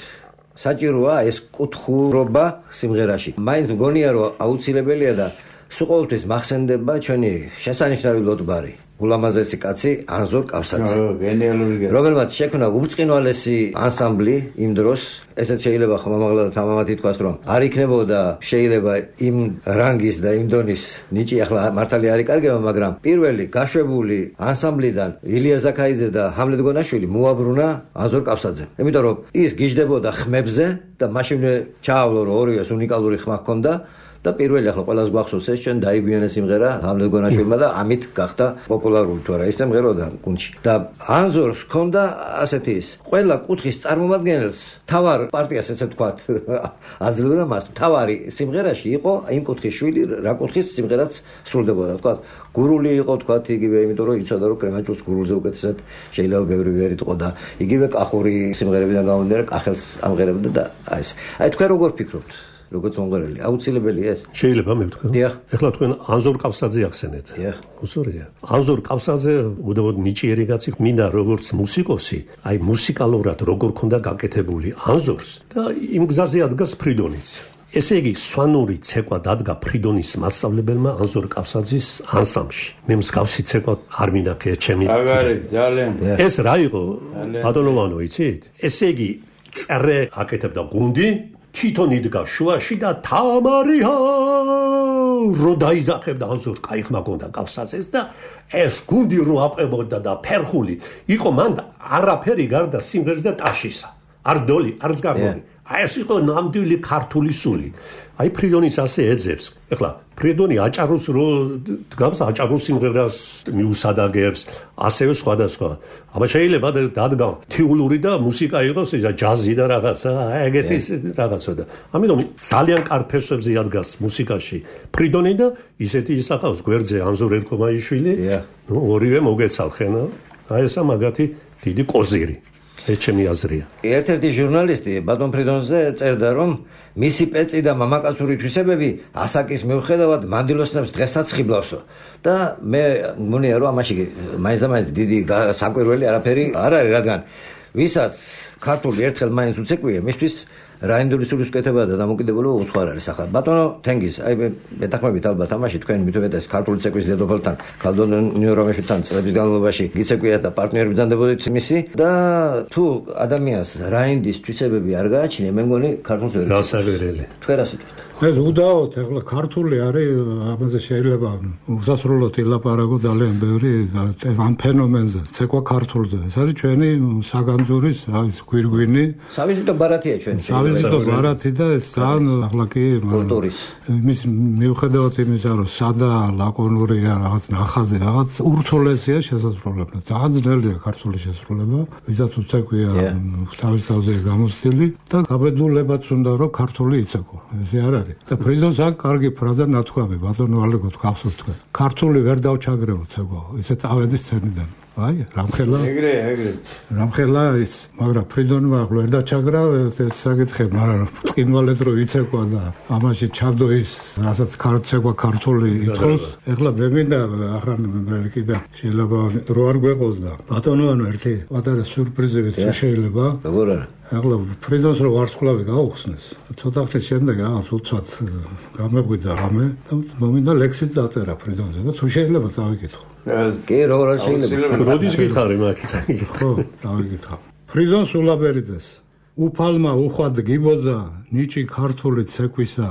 [SPEAKER 1] საჭიროა ეს კუთხურობა სიმღერაში. მაინც მგონია რომ აუცილებელია და სულ ყოველთვის მახსენდება ჩვენი შესანიშნავი ლოტბარი. ულამაზესი კაცი ანზორ კავსაძე.
[SPEAKER 4] გენიალური.
[SPEAKER 1] რომელმაც შექმნა უბრწყინვალესი ანსამბლი იმ დროს, ესეც შეიძლება ხმამაღლა და თამამად ითქვას, რომ არ იქნებოდა შეიძლება იმ რანგის და იმ დონის ნიჭი ახლა მართალი არ იკარგება, მაგრამ პირველი გაშვებული ანსამბლიდან ილია ზაქაიძე და ჰამლეთ გონაშვილი მოაბრუნა ანზორ კავსაძემ. იმიტომ რომ ის გიждდებოდა ხმებზე და მაშინ ჩაავლო რომ ორივეს უნიკალური ხმა ჰქონდა. და პირველი ახლა ყველას გვახსოვს ეს ჩვენ დაიგვიანეს სიმღერა ჰამლეთ გონაშვილმა და ამით გახდა პოპულარული თუ არა ის სიმღეროდა გუნდში და ანზორს ჰქონდა ასეთი ის ყველა კუთხის წარმომადგენელს თავარ პარტიას ესე ვთქვათ აძლევდა მას თავარი სიმღერაში იყო იმ კუთხის შვილი რა კუთხის სიმღერაც სრულდებოდა ვთქვათ გურული იყო ვთქვათ იგივე იმიტომ რომ იცოდა რომ კრემაჭულს გურულზე უკეთესად შეიძლება ბევრი ვერი იყო და იგივე კახური სიმღერებიდან გამომდინარე კახელს ამღერებდა და აი ეს აი თქვენ როგორ ფიქრობთ როგორც მომღერალი აუცილებელია ეს
[SPEAKER 3] შეიძლება მე ვთქვი ეხლა თქვენ ანზორ კავსაძე ახსენეთ
[SPEAKER 1] დიახ
[SPEAKER 3] უსურია ანზორ კავსაძე უდავოდ ნიჭიერი კაცი მინდა როგორც მუსიკოსი აი მუსიკალურად როგორ ქონდა გაკეთებული ანზორს და იმ გზაზე ადგას ფრიდონიც ესე იგი სვანური ცეკვა დადგა ფრიდონის მასწავლებელმა ანზორ კავსაძის ანსამბლში მე მსგავსი ცეკვა არ მინდა ჩემი
[SPEAKER 4] აგარი ძალიან
[SPEAKER 3] ეს რა იყო ბატონოვანო იცით ესე იგი წერე აკეთებდა გუნდი თვითონ იდგა შუაში და თამარია რო დაიზახებდა ანზორ კაი ხმა გონდა კავსაძეს და ეს გუნდი რო აყვებოდა და ფერხული იყო მან არაფერი გარდა სიმღერის და ტაშისა არ დოლი არც გარდული აი ეს იყო ნამდვილი ქართული სული აი ფრიდონის ასე ეძებს ეხლა ფრიდონი აჭაროს რო დგავს აჭაროს სიმღერას მიუსადაგებს ასევე სხვადასხვა აბა შეიძლება დადგა თეოლური და მუსიკა იყოს ეს ჯაზი და რაღაცა ეგეთი რაღაცა და ამიტომ ძალიან კარგ ფესვებზე ადგას მუსიკაში ფრიდონი და ისეთი ისახავს გვერდზე ანზორ ერქომაიშვილი ნუ ორივე მოგეცალხენა აი ესა მაგათი დიდი კოზირი ეს ჩემი აზრია.
[SPEAKER 1] ერთ-ერთი ჟურნალისტი ბატონ ფრიდონზე წერდა, რომ მისი პეწი და მამაკაცური თვისებები ასაკის მიუხედავად მანდილოსნებს დღესაც ხიბლავსო. და მე მგონია რომ ამაში მაინც და მაინც დიდი საკვირველი არაფერი არ არის, რადგან ვისაც ქართული ერთხელ მაინც უცეკვია, მისთვის რაინდული სულის კეთება და დამოკიდებულება უცხოარ არის ახლა. ბატონო თენგიზ, აი მეტახმებით ალბათ ამაში თქვენ მithumetes ქართული ცეკვის დედოფალთან, ქალდონიო რომეშთან წლების განმავლობაში გიცეკვიათ და პარტნიორები ბრძანდებოდით მისი და თუ ადამიანს რაინდის თვისებები არ გააჩნია, მე მგონი ქართულს ვერ იცის.
[SPEAKER 3] გასაგერელი.
[SPEAKER 1] თქვენ რა სიტყვით?
[SPEAKER 2] ეს უდაოდ ახლა ქართული არის ამაზე შეიძლება უსასრულოდ ილაპარაკო ძალიან ბევრი ამ ფენომენზე, ცეკვა ქართულზე. ეს არის ჩვენი საგანძურის ის გვირგვინი.
[SPEAKER 1] სავიზიტო ბარათია ჩვენი.
[SPEAKER 2] ესა ბარათი და ეს ძალიან ახლა კი
[SPEAKER 1] კულტურის
[SPEAKER 2] მის მიუხედავად იმისა რომ სადა ლაკონურია რაღაც ნახაზი რაღაც ურთულესია შესაძლებლობა ძალიან ძნელია ქართული შესრულება ვისაც უცეკვია თავის თავზე გამოსწილი და გაბედულებაც უნდა რომ ქართული იცეკო ესე არ არის და ფრიდონს აქ კარგი ფრაზა ნათქვამი ბატონო ალეგო გახსოვთ თქვენ ქართული ვერ დავჩაგრებო ცეგო ესე წავედი სცენიდან აი რამხელა
[SPEAKER 4] ეგრე ეგრე
[SPEAKER 2] რამხელა ის მაგრამ ფრიდონმა ახლა ვერ დაჩაგრა ეს საკითხი მაგრამ წინვალედ რო იცეკვა და ამაში ჩადო ის რასაც ქართცეკვა ქართული ითხოვს ეხლა მე მინდა ახლა კიდე შეიძლება რო არ გვეყოს და ბატონო ანუ ერთი პატარა სიურპრიზივით შეიძლება
[SPEAKER 1] როგორ არა
[SPEAKER 2] ახლა ფრიდონს რო ვარსკვლავი გაუხსნეს ცოტა ხნის შემდეგ რაღაც უცბად გამეღვიძა რამე და მომინდა ლექსიც დაწერა ფრიდონზე და თუ შეიძლება წავიკითხო
[SPEAKER 1] კი როგორ არ შეიძლება
[SPEAKER 3] როდის გითხარი მაგით
[SPEAKER 2] ხო დავიკითხავ ფრიდონ სულაბერიძეს უფალმა უხვად გიბოძა ნიჭი ქართული ცეკვისა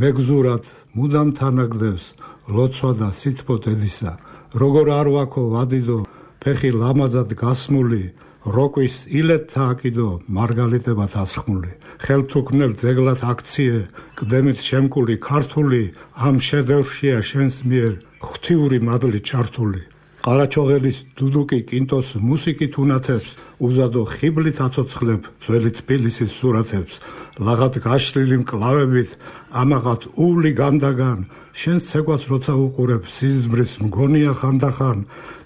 [SPEAKER 2] მეგზურად მუდამ თანაგდებს ლოცვა და სითბო დედისა როგორ არ ვაქო ვადიდო ფეხი ლამაზად გასმული როკვის ილეთთა აკიდო მარგალიტებად ასხმული ხელთუქმნელ ძეგლად აქციე კდემით შემკული ქართული ამ შედევრშია შენს მიერ ღვთიური მადლი ჩართული ყარაჩოღელის დუდუკი კინტოს მუსიკით უნათებს უზადო ხიბლით აცოცხლებ ძველი თბილისის სურათებს ლაღად გაშლილი მკლავებით ამაღად უვლი განდაგან შენს ცეკვას როცა უყურებ სიზმრის მგონია ხანდახან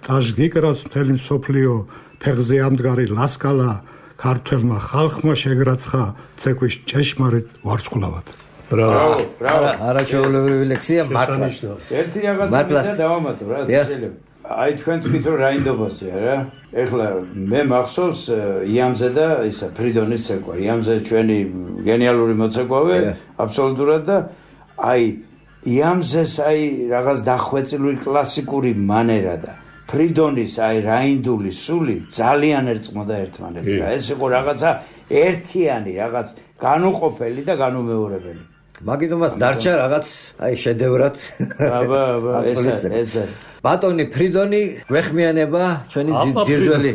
[SPEAKER 2] ტაშ გიკრავს მთელი მსოფლიო ფეხზე ამდგარი ლასკალა ქართველმა ხალხმა შეგრაცხა ცეკვის ჭეშმარიტ ვარსკვლავად
[SPEAKER 4] ბრავო ბრავო
[SPEAKER 1] არაჩვეულებრივი ლექსია მართლა
[SPEAKER 4] ერთი რაღაცა მინდა დავამატო რა შეიძლება აი თქვენ თქვით რომ რაინდობასია რა ეხლა მე მახსოვს იამზე და ისა ფრიდონის ცეკვა იამზე ჩვენი გენიალური მოცეკვავე აბსოლუტურად და აი იამზეს აი რაღაც დახვეწილი კლასიკური მანერა და ფრიდონის აი რაინდული სული ძალიან ერწყმოდა ერთმანეთს რა ეს იყო რაღაცა ერთიანი რაღაც განუყოფელი და განუმეორებელი
[SPEAKER 1] მაგიტომაც დარჩა რაღაც აი შედევრად
[SPEAKER 4] აბა აბა ეს ეს
[SPEAKER 1] ბატონი ფრიდონი გვეხმიანება ჩვენი ძირძველი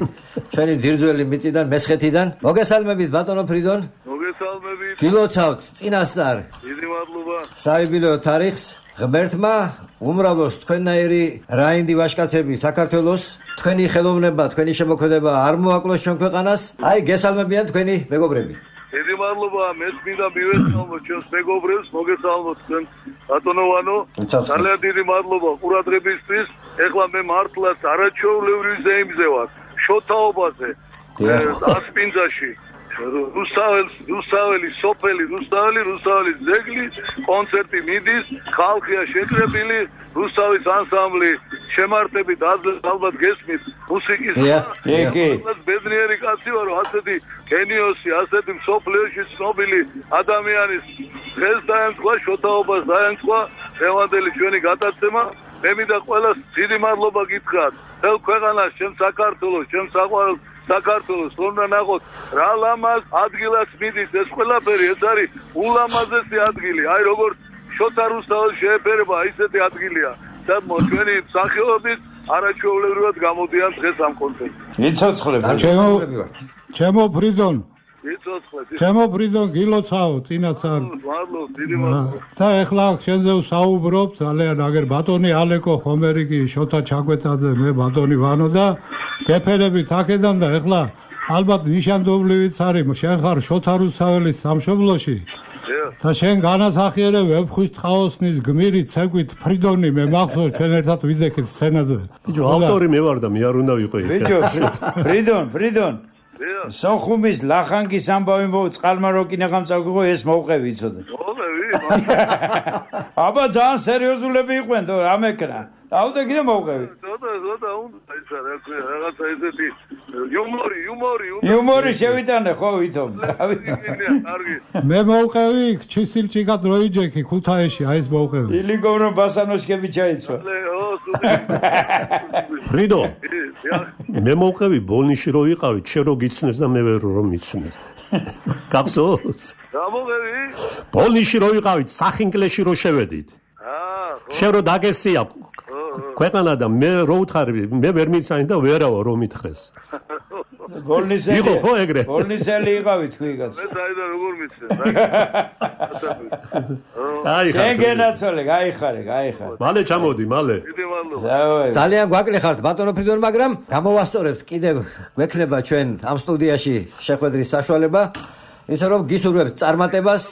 [SPEAKER 1] ჩვენი ძირძველი მიწიდან მესხეთიდან მოგესალმებით ბატონო ფრიდონ
[SPEAKER 5] მოგესალმებით
[SPEAKER 1] გილოცავთ წინასწარ
[SPEAKER 5] დიდი მადლობა
[SPEAKER 1] საიუბილეო თარიღს ღმერთმა უმრავლოს თქვენნაირი რაინდი ვაჟკაცები საქართველოს თქვენი ხელოვნება თქვენი შემოქმედება არ მოაკლოს ჩვენ ქვეყანას აი გესალმებიან თქვენი მეგობრები
[SPEAKER 5] დიდი მადლობა მეც მინდა მივესალმოთ ჩვენს მეგობრებს მოგესალმოთ თქვენ ბატონოვანო ძალიან დიდი მადლობა ყურადღებისთვის ეხლა მე მართლაც არაჩვეულებრივ ზეიმზე ვარ შოთაობაზე ასპინძაში რუსთაველი რუსთაველი სოფელი რუსთაველი რუსთაველი ძეგლი კონცერტი მიდის ხალხია შეკრებილი რუსთავის ანსამბლი შემართებით ალბათ გესმით მუსიკის ბედნიერი კაცი ვარო ასეთი გენიოსი ასეთი მსოფლიოში ცნობილი ადამიანის დღეს დაემთხვა შოთაობას დაემთხვა დღევანდელი ჩვენი გადაცემა მე მინდა ყველას დიდი მადლობა გითხრათ მთელ ქვეყანას ჩემ საქართველოს ჩემ საყვარელ საქართველოს უნდა ნახოთ რა ლამაზ ადგილას მიდის ეს ყველაფერი ეს არის ულამაზესი ადგილი აი როგორც შოთა რუსთაველი შეეფერება ისეთი ადგილია და ჩვენი მსახიობების არაჩვეულებრივად გამოდიან დღეს ამ კონცერტზე
[SPEAKER 4] მიცოცხლე
[SPEAKER 2] ჩემო ჩემო ფრიდონ
[SPEAKER 5] მიცოცხლე
[SPEAKER 2] ჩემო ფრიდონ გილოცავ წინასწარ
[SPEAKER 5] მადლობა დიდი მადლობა
[SPEAKER 2] და ეხლა შენზე ვსაუბრობ ძალიან აგერ ბატონი ალეკო ხომერიკი შოთა ჩაკვეტაძე მე ბატონი ვანო და გეფერებით აქედან და ეხლა ალბათ ნიშანდობლივიც არის შენ ხარ შოთა რუსთაველის სამშობლოში და შენ განასახიერებ ვეფხვის ტყაოსნის გმირი ცეკვით ფრიდონი მე მახსოვს ჩვენ ერთად ვიძექით სცენაზე
[SPEAKER 3] ბიჭო ავტორი მე ვარ და მე არ უნდა ვიყო იქ
[SPEAKER 4] ბიჭო ფრიდონ ფრიდონ სოხუმის ლახანკის ამბავი მო წყალმაროკინა გამწავგო ეს მოვყევი იცოდე
[SPEAKER 5] მოვყევი
[SPEAKER 4] აბა ძალიან სერიოზულები იყვენ თო ამეკრა დაუდე კიდე მოვყევი
[SPEAKER 5] ზოდა ზოდა უნდა ისა რა ქვია რაღაცა ესეთი იუმორი იუმორი
[SPEAKER 4] იუმორი შევიტანე ხო ვითომ
[SPEAKER 2] მე მოვყევი ჩისილჭიკად როიჯექი ქუთაისში აი ეს მოვყევი
[SPEAKER 4] ილიგოვნო ბასანოშკები ჩაიცვა
[SPEAKER 3] ფრიდო მე მოვყევი ბოლნიში რო იყავით შენ რო გიცნეს და მე ვერ რომ მიცნეს გახსოვს
[SPEAKER 5] რა მოვყევი
[SPEAKER 3] ბოლნიში რო იყავით სახინკლეში რო შევედით
[SPEAKER 5] აა
[SPEAKER 3] შენ რო დაგესია ქვეყანა და მე რო უთხარი მე ვერ მიცანი და ვერავა რომ მითხეს
[SPEAKER 4] ბოლნისელი
[SPEAKER 3] იყო ხო ეგრე?
[SPEAKER 4] ბოლნისელი იყავი თქვი კაც.
[SPEAKER 5] მე საიდან როგორ მიცე?
[SPEAKER 3] აი ხარ.
[SPEAKER 4] შეგენაცვალე, გაიხარე, გაიხარე.
[SPEAKER 3] მალე ჩამოდი, მალე.
[SPEAKER 5] დიდი მადლობა.
[SPEAKER 1] ძალიან გვაკლი ხართ ბატონო ფრიდონ, მაგრამ გამოვასწორებთ კიდევ გვექნება ჩვენ ამ სტუდიაში შეხვედრის საშუალება. ისე რომ გისურვებთ წარმატებას.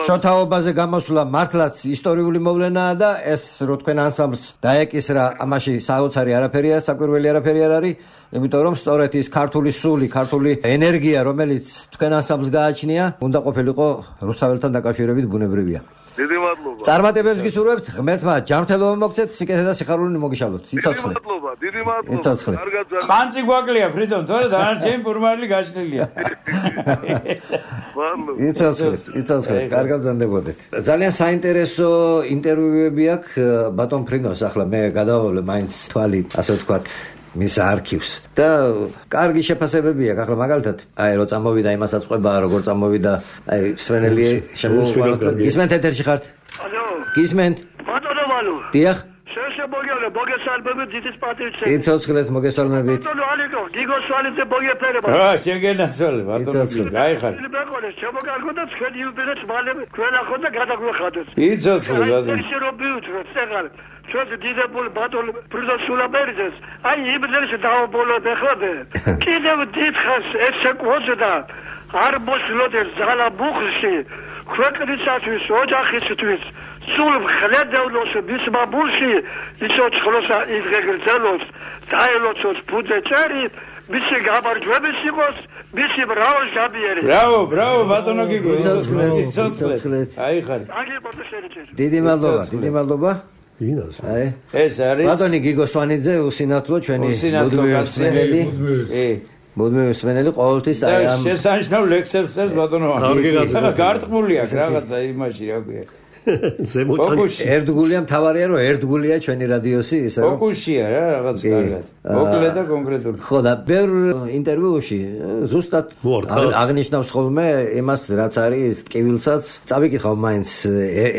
[SPEAKER 1] შოთაობაზე გამოსვლა მართლაც ისტორიული მოვლენაა და ეს რო თქვენ ანსამბლს დაეკისრა, ამაში საოცარი არაფერია, საკვირველი არაფერი არ არის. იმიტომ რომ სწორედ ის ქართული სული, ქართული ენერგია, რომელიც თქვენ ანსამბლს გააჩნია, უნდა ყოფილიყო რუსთაველთან დაკავშირებით ბუნებრივია.
[SPEAKER 5] დიდი მადლობა.
[SPEAKER 1] წარმატებებს გისურვებთ, ღმერთმა ჯანმრთელობა მოგცეთ, სიკეთე და სიხარული მოგიშალოთ.
[SPEAKER 5] დიდი მადლობა, დიდი მადლობა.
[SPEAKER 1] კარგად
[SPEAKER 5] ძალიან.
[SPEAKER 4] ხანძი გვაკლია ფრიდონ, თორე დანარჩენი ფურმალი გაშლილია.
[SPEAKER 5] მადლობა.
[SPEAKER 1] იცოცხლეთ, იცოცხლეთ, კარგად ზანდებოდეთ. ძალიან საინტერესო ინტერვიუები აქვს ბატონ ფრიდონს, ახლა მე გადავავლე მაინც თვალი, ასე ვთქვათ, მის არქივს და კარგი შეფასებები აქვს. ახლა მაგალითად, აი რო წამოვიდა იმასაც ყვება, როგორ წამოვიდა, აი სვენელი შემოუყვანოთ. გისმენთ ეთერში ხართ?
[SPEAKER 5] ალო.
[SPEAKER 1] გისმენთ?
[SPEAKER 5] ბატონო ვალო.
[SPEAKER 1] დიახ.
[SPEAKER 5] შეშებოგიალე, მოგესალმებით, ძიტის პატივცემი.
[SPEAKER 1] იცოცხლეთ, მოგესალმებით.
[SPEAKER 5] ბატონო ალიკო, გიგო სვალიძე მოგეფერება.
[SPEAKER 4] რა, შეგენაცვალე, ბატონო, გაიხარე.
[SPEAKER 5] ბაკოლე, შემოგარგო და თქვენ იუბილეს მალე თქვენ ახოთ და გადაგვეხადოთ.
[SPEAKER 4] იცოცხლე, ბატონო.
[SPEAKER 5] ისე რომ ბიუჯეტს წეგალ. ჩვენ დიდებული ბატონო ფრიდონ სულაბერიძეს, აი იმდენს დაობოლოთ ეხლადე. კიდევ დიდხანს ეცეკვოძდა არ მოსლოდეს ზალა ბუხში, ქვეყნისათვის, ოჯახისთვის, სულ მხედევლოს მისმაბულში, იცოცხლოს იღეგრძელოს, დაელოცოს ბუძეჭერი, მისი გამარჯვების იყოს, მისი მრავალჟამიერი.
[SPEAKER 4] ბრავო, ბრავო, ბატონო გიგო,
[SPEAKER 1] იცოცხლეთ,
[SPEAKER 4] იცოცხლეთ.
[SPEAKER 1] იცოცხლეთ.
[SPEAKER 4] აიხარე.
[SPEAKER 5] აგებოდა შეერჩეთ.
[SPEAKER 1] დიდი მადლობა, დიდი მადლობა.
[SPEAKER 3] ვინას?
[SPEAKER 1] აი,
[SPEAKER 4] ეს არის
[SPEAKER 1] ბატონი გიგო სვანიძე, უსინათლო ჩვენი
[SPEAKER 4] უსინათლო
[SPEAKER 1] მუდმივი
[SPEAKER 4] კი.
[SPEAKER 1] მუდმივი მსმენელი ყოველთვის აი ამ
[SPEAKER 4] შესანიშნავ ლექსებს წერს ბატონო.
[SPEAKER 3] კარგი გაზრდა.
[SPEAKER 4] გარტყმული აქვს რაღაცა იმაში, რა ქვია.
[SPEAKER 3] ზემოთან
[SPEAKER 1] ერთგულია მთავარია რომ ერთგულია ჩვენი რადიოსი ისე რომ
[SPEAKER 4] ფოკუსია რა რაღაც კარგად. მოკლედ და კონკრეტული.
[SPEAKER 1] ხო და ბევრ ინტერვიუში ზუსტად აღნიშნავს ხოლმე იმას რაც არის ტკივილსაც წავიკითხავ მაინც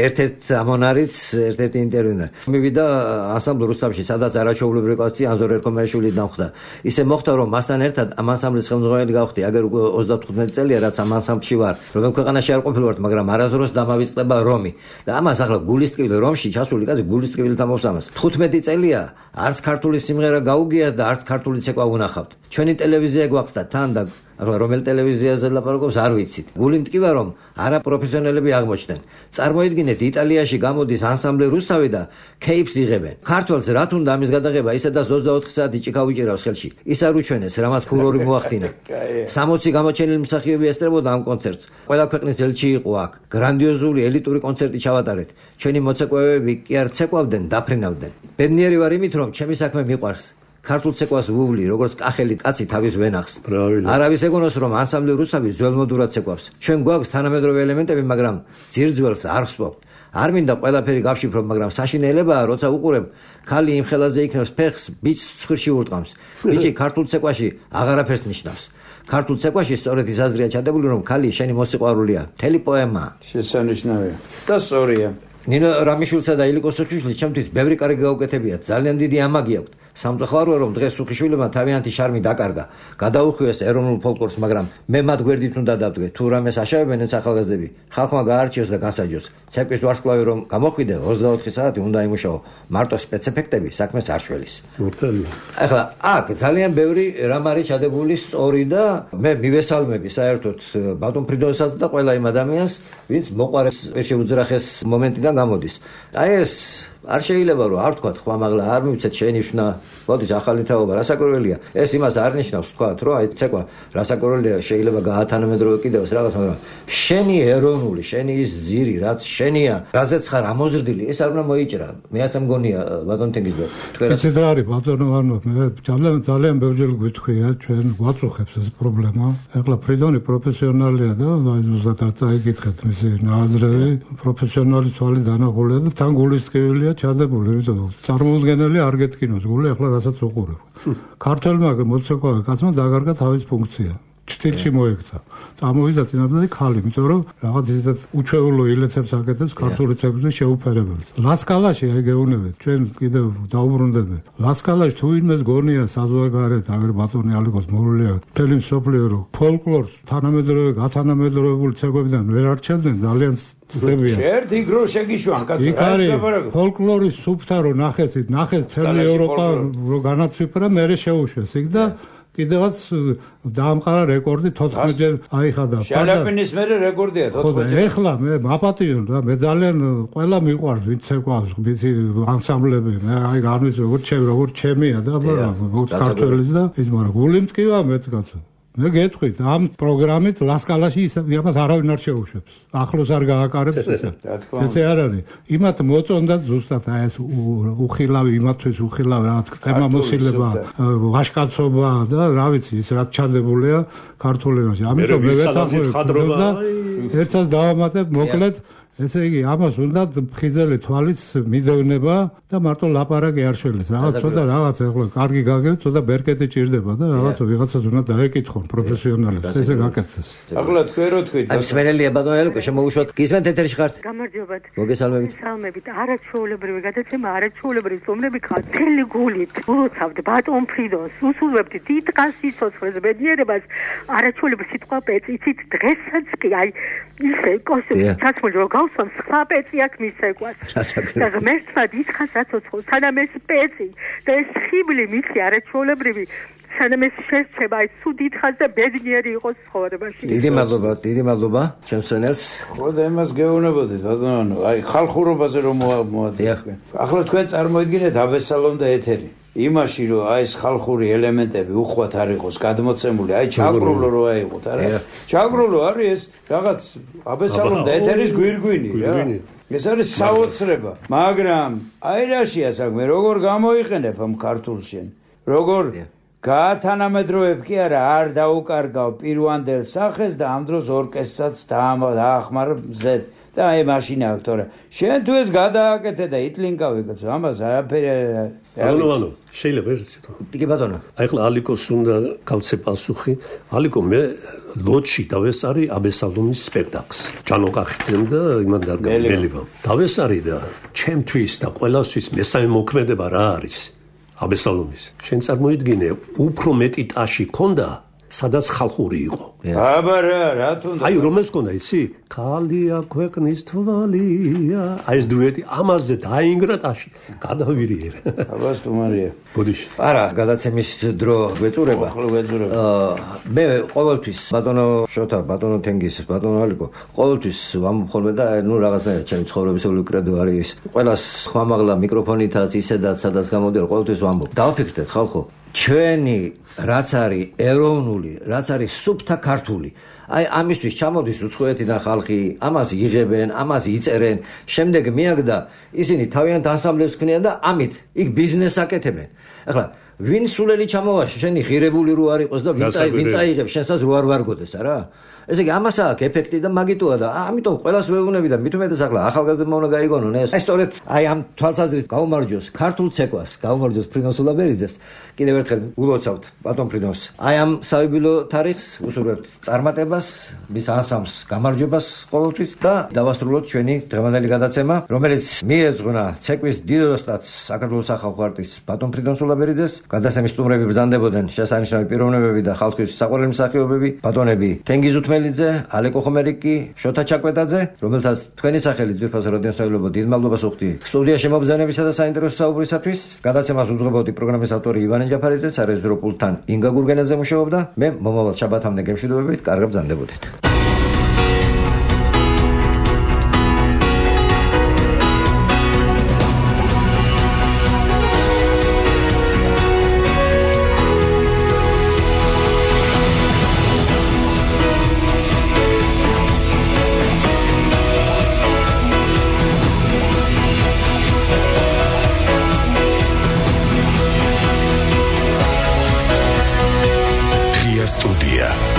[SPEAKER 1] ერთ-ერთ ამონარიც ერთ-ერთი ინტერვიუნა. მივიდა ანსამბლ რუსთავში სადაც არაჩვეულებრივი კაცი ანზორ ერქომაიშვილი დამხვდა. ისე მოხდა რომ მასთან ერთად ამ ანსამბლის ხელმძღვანელი გავხდი. აგერ უკვე ოცდათხუთმეტი წელია რაც ამ ანსამბლში ვარ. რომელ ქვეყანაში არ ყოფილვარ, მაგრამ არასდროს დამავიწყდება რომი. და ამას ახლა გულის ტკივილი რომში ჩასული კაცი გულის ტკივილით ამოვსამას. თხუთმეტი წელია არც ქართული სიმღერა გაუგია და არც ქართული ცეკვა უნახავთ. ჩვენი ტელევიზია გვაქვს თან და ახლა რომელ ტელევიზიაზე ლაპარაკობს არ ვიცით. გული მტკივა რომ არა პროფესიონალები აღმოჩნდნენ. წარმოიდგინეთ იტალიაში გამოდის ანსამბლი რუსთავი და კეიპს იღებენ. ქართველს რა თუნდა ამის გადაღება ისე და ოცდაოთხი საათი ჭიქა უჭირავს ხელში. ის არ უჩვენეს რამაც ფურორი მოახდინა. სამოცი გამოჩენილი მსახიობი ესწრებოდა ამ კონცერტს. ყველა ქვეყნის ელჩი იყო აქ. გრანდიოზული ელიტური კონცერტი ჩავატარეთ. ჩვენი მოცეკვავეები კი არ ცეკვავდნენ, დაფრინავდნენ. ბედნიერი ვარ იმით რომ ჩემი საქმე მიყვარს. ქართულ ცეკვას ვუვლი, როგორც კახელი კაცი თავის ვენახს. არავის ეგონოს რომ ანსამბლი რუსთავი ძველმოდურად ცეკვავს. ჩვენ გვაქვს თანამედროვე ელემენტები, მაგრამ ძირძველს არ ხსვავთ. არ მინდა ყველაფერი გავშიფრო, მაგრამ საშინელებაა, როცა უყურებ, ქალი იმ ხელაზე იქნებს ფეხს, ბიჭს ცხვირში ურტყამს. ბიჭი ქართულ ცეკვაში აღარაფერს ნიშნავს. ქართულ ცეკვაში სწორედ ის აზრია ჩადებული, რომ ქალი შენი მოსიყვარულია. მთელი პოემაა.
[SPEAKER 4] შესანიშნავია. და სწორია.
[SPEAKER 1] ნინო რამიშვილსა და ილიკო სუხიშვილს ჩემთვის ბევრი კარგი გაუკეთებიათ. ძალიან დიდი ამაგი აქვთ. სამწუხაროა რომ დღეს სუხიშვილებმა თავიანთი შარმი დაკარგა. გადაუხვიეს ეროვნულ ფოლკლორს, მაგრამ მე მათ გვერდით უნდა დავდგე. თუ რამეს აშავებენ ეს ახალგაზრდები, ხალხმა გაარჩიოს და განსაჯოს. ცეკვის ვარსკვლავი რომ გამოხვიდე ოცდაოთხი საათი უნდა იმუშაო. მარტო სპეცეფექტები საქმეს არ შველის.
[SPEAKER 3] მართალია.
[SPEAKER 1] ახლა აქ ძალიან ბევრი რამ არის ჩადებული სწორი და მე მივესალმები საერთოდ ბატონ ფრიდონსაც და ყველა იმ ადამიანს, ვინც მოყარეს შეუძრახეს მომენტიდან გამოდის. აი ეს არ შეიძლება რომ არ თქვა ხვა მაღლა არ მივცეთ შენიშნა მოდის ახალი თაობა რასაკვირველია ეს იმას არ ნიშნავს თქვა რომ აი ცეკვა რასაკვირველია შეიძლება გაათანამედროვე კიდევს რაღაც მაგრამ შენი ეროვნული შენი ის ძირი რაც შენია რაზეც ხარ ამოზრდილი ეს არ უნდა მოიჭრა მე ასე მგონია ბატონ თენგიზბე თქვენ
[SPEAKER 2] ეს რა არის ბატონო ანუ მე ძალიან ძალიან ბევრჯერ გვითხრია ჩვენ ვაწუხებს ეს პრობლემა ეხლა ფრიდონი პროფესიონალია და აი ზუსტად არ წაიკითხეთ მისი ნაზრები პროფესიონალი თვალი დანახულია და თან გულისწყებელია ჩადებული, იმიტომ რომ წარმოუდგენელი არ გეტკინოს გული, ახლა რასაც უყურებ. ქართველმა მოცეკვავე კაცმა დაგარგა თავის ფუნქცია. ჩtildeში მოექცა. წამოვიდა წინაპრები ქალი, იმიტომ რომ რაღაც ისეთ უჩვეულო ილეცებს აკეთებს ქართული ცეკვებზე შეუფერებელს. ლასკალაში აი გეუბნებით, ჩვენ კიდევ დაუბრუნდები. ლასკალაში თუ ვინმეს გონია საზღვარგარეთ, აგერ ბატონი ალიკოს მოვლია, მთელი მსოფლიო რო ფოლკლორს თანამედროვე გათანამედროვებული ცეკვებიდან ვერ არჩევდნენ ძალიან ძებია.
[SPEAKER 4] შერთ იქ რო შეგიშვან კაცო.
[SPEAKER 2] იქ არის ფოლკლორის სუფთა რო ნახეს, ნახეს მთელი ევროპა რო განაცვიფრა, მერე შეუშვეს იქ და კიდევაც დაამყარა რეკორდი თოთხმეტჯერ აიხადა.
[SPEAKER 4] შალაპინის მერე რეკორდია თოთხმეტჯერ.
[SPEAKER 2] ხო, ეხლა მე მაპატიონ რა, მე ძალიან ყველა მიყვარს ვინც ცეკვავს, ვიცი ანსამბლები, მე აი განვის როგორ ჩემ როგორ ჩემია და როგორც ქართველის და ის მაგრამ გული მტკივა მეც კაცო. მე გეტყვით ამ პროგრამით ლასკალაში იმათ არავინ არ შეუშვებს. ახლოს არ გააკარებს ესე. ესე არ არის. იმათ მოწონდათ ზუსტად აი ეს უხილავი იმათთვის უხილავი რაღაც თემამოსილება, ვაშკაცობა და რა ვიცი ის რაც ჩადებულია ქართულებაში. ამიტომ მე ვეცახებ და ერთსაც დავამატებ მოკლედ ესე იგი ამას უნდა ხიზელი თვალის მიდევნება და მარტო ლაპარაკი არ შველეს. რაღაც ცოტა რაღაც ეხლა კარგი გაგებს, ცოტა ბერკეტი ჭირდება და რაღაც ვიღაცას უნდა დაეკითხონ პროფესიონალებს. ესე გაკეთდეს.
[SPEAKER 4] ახლა თქვენ რო თქვით.
[SPEAKER 1] აი სმენელია ბატონო ელკო შემოუშვათ. გისმენთ ეთერში ხართ?
[SPEAKER 6] გამარჯობათ.
[SPEAKER 1] მოგესალმებით.
[SPEAKER 6] მოგესალმებით. არაჩვეულებრივი გადაცემა, არაჩვეულებრივი სტუმრები ხართ. მთელი გულით ულოცავთ ბატონ ფრიდონს, უსურვებთ დიდ სიცოცხლეს, ბედნიერებას. არაჩვეულებრივი სიტყვა პეწი, იცით დღესაც კი აი ისე კოსტუმი ჩაცმული რომ გავსვამ სხვა პეწი აქ მისეკვას. და ღმერთმა დიდხანს აცოცხლო, სანამ ეს პეწი და ეს ხიბლი მიცი არაჩვეულებრივი სანამ ეს შესწება ის სულ დიდხანს და ბედნიერი იყოს ცხოვრებაში.
[SPEAKER 1] დიდი მადლობა, დიდი მადლობა ჩემსენელს.
[SPEAKER 4] ხო და იმას გეუბნებოდით ბატონო, აი ხალხურობაზე რომ მოაძიახ. ახლა თქვენ წარმოიდგინეთ აბესალომ და ეთერი. იმაში რომ აი ეს ხალხური ელემენტები უხვად არ იყოს გადმოცემული, აი ჩაგრულო რო აიყოთ, არა? ჩაგრულო არის ეს რაღაც აბესალომ და ეთერის გვირგვინი რა. ეს არის საოცრება, მაგრამ აი რაშია საქმე, როგორ გამოიყენებ ამ ქართულში? როგორ გაათანამედროვებ კი არა, არ დაუკარგავ პირვანდელ სახეს და ამ დროს ორკესტრსაც დაახმარ მზედ. და აი მაშინა აქვს თორე შენ თუ ეს გადააკეთე და იტლინკავი კაცო ამას არაფერი
[SPEAKER 3] ანუ ანუ შეიძლება ერთ სიტყვა
[SPEAKER 1] კი ბატონო
[SPEAKER 3] აი ხლა ალიკოს უნდა გავცე პასუხი ალიკო მე ლოჩი დავესარი აბესალომის სპექტაკლს ჯანო კახიძემ და იმან დადგა მელიბამ დავესარი და ჩემთვის და ყველასთვის მესამე მოქმედება რა არის აბესალომის შენ წარმოიდგინე უფრო მეტი ტაში ქონდა სადაც ხალხური იყო.
[SPEAKER 4] აბა რა, რა თუნდა.
[SPEAKER 3] აი რომელს ქონდა ისი? ქალია ქვეყნის თვალია. აი ეს დუეტი ამაზე დაინგრა ტაში. გადავირიერე.
[SPEAKER 4] აბა სტუმარია.
[SPEAKER 3] ბოდიში.
[SPEAKER 1] არა, გადაცემის დრო გვეწურება.
[SPEAKER 4] ხო, გვეწურება.
[SPEAKER 1] აა მე ყოველთვის ბატონო შოთა, ბატონო თენგის, ბატონო ალიკო, ყოველთვის ვამბობ და ნუ რაღაცნაირად ჩემი ცხოვრებისეული კრედო არის. ყველას ხმამაღლა მიკროფონითაც ისედაც სადაც გამოდიარ, ყოველთვის ვამბობ. დავაფიქრდეთ ხალხო ჩვენი რაც არის ეროვნული, რაც არის სუფთა ქართული. აი ამისთვის ჩამოდის უცხოეთიდან ხალხი, ამას იღებენ, ამას იწერენ, შემდეგ მიაგდა ისინი თავიანთ ანსამბლებს ქმნიან და ამით იქ ბიზნესს აკეთებენ. ახლა ვინ სულელი ჩამოვაშ, შენი ღირებული რო არ იყოს და ვინ წაი ვინ წაიღებს შენსაც რო არ ვარგოდეს, არა? ესე იგი ამას აქვს ეფექტი და მაგიტოა და ამიტომ ყველას ვეუბნები და მით უმეტეს ახლა ახალგაზრდებმა უნდა გაიგონონ ეს. აი სწორედ აი ამ თვალსაზრისით გაუმარჯოს ქართულ ცეკვას, გაუმარჯოს ფრიდონ სულაბერიძეს. კიდევ ერთხელ ულოცავთ ბატონ ფრიდონს. აი ამ საიუბილეო თარიღს უსურვებთ წარმატებას, მის ანსამბლს გამარჯვებას ყოველთვის და დავასრულოთ ჩვენი დღევანდელი გადაცემა, რომელიც მიეძღვნა ცეკვის დიდ ოსტატს საქართველოს სახალხო არტისტს ბატონ ფრიდონ სულაბერიძეს. გადაცემის სტუმრები ბრძანდებოდნენ შესანიშნავი პიროვნებები და ხალხის საყვარელი მსახიობები, ბატონები თენგიზ უთმელიძე, ალეკო ხომერიკი, შოთა ჩაკვეტაძე, რომელთაც თქვენი სახელით ძვირფასო რადიოსაუბრებო დიდ მადლობას ვუხდი. სტუდიაში მობრძანებისა და საინტერესო საუბრისათვის გადაცემას უძღვებოდი პროგრამის ავტორი ივანე ჯაფარიძე, სარეჟისორო პულტთან ინგა გურგენაძე მუშაობდა. მე მომავალ შაბათამდე გემშვიდობებით, კარგად ბრძანდებოდეთ.
[SPEAKER 7] Studia.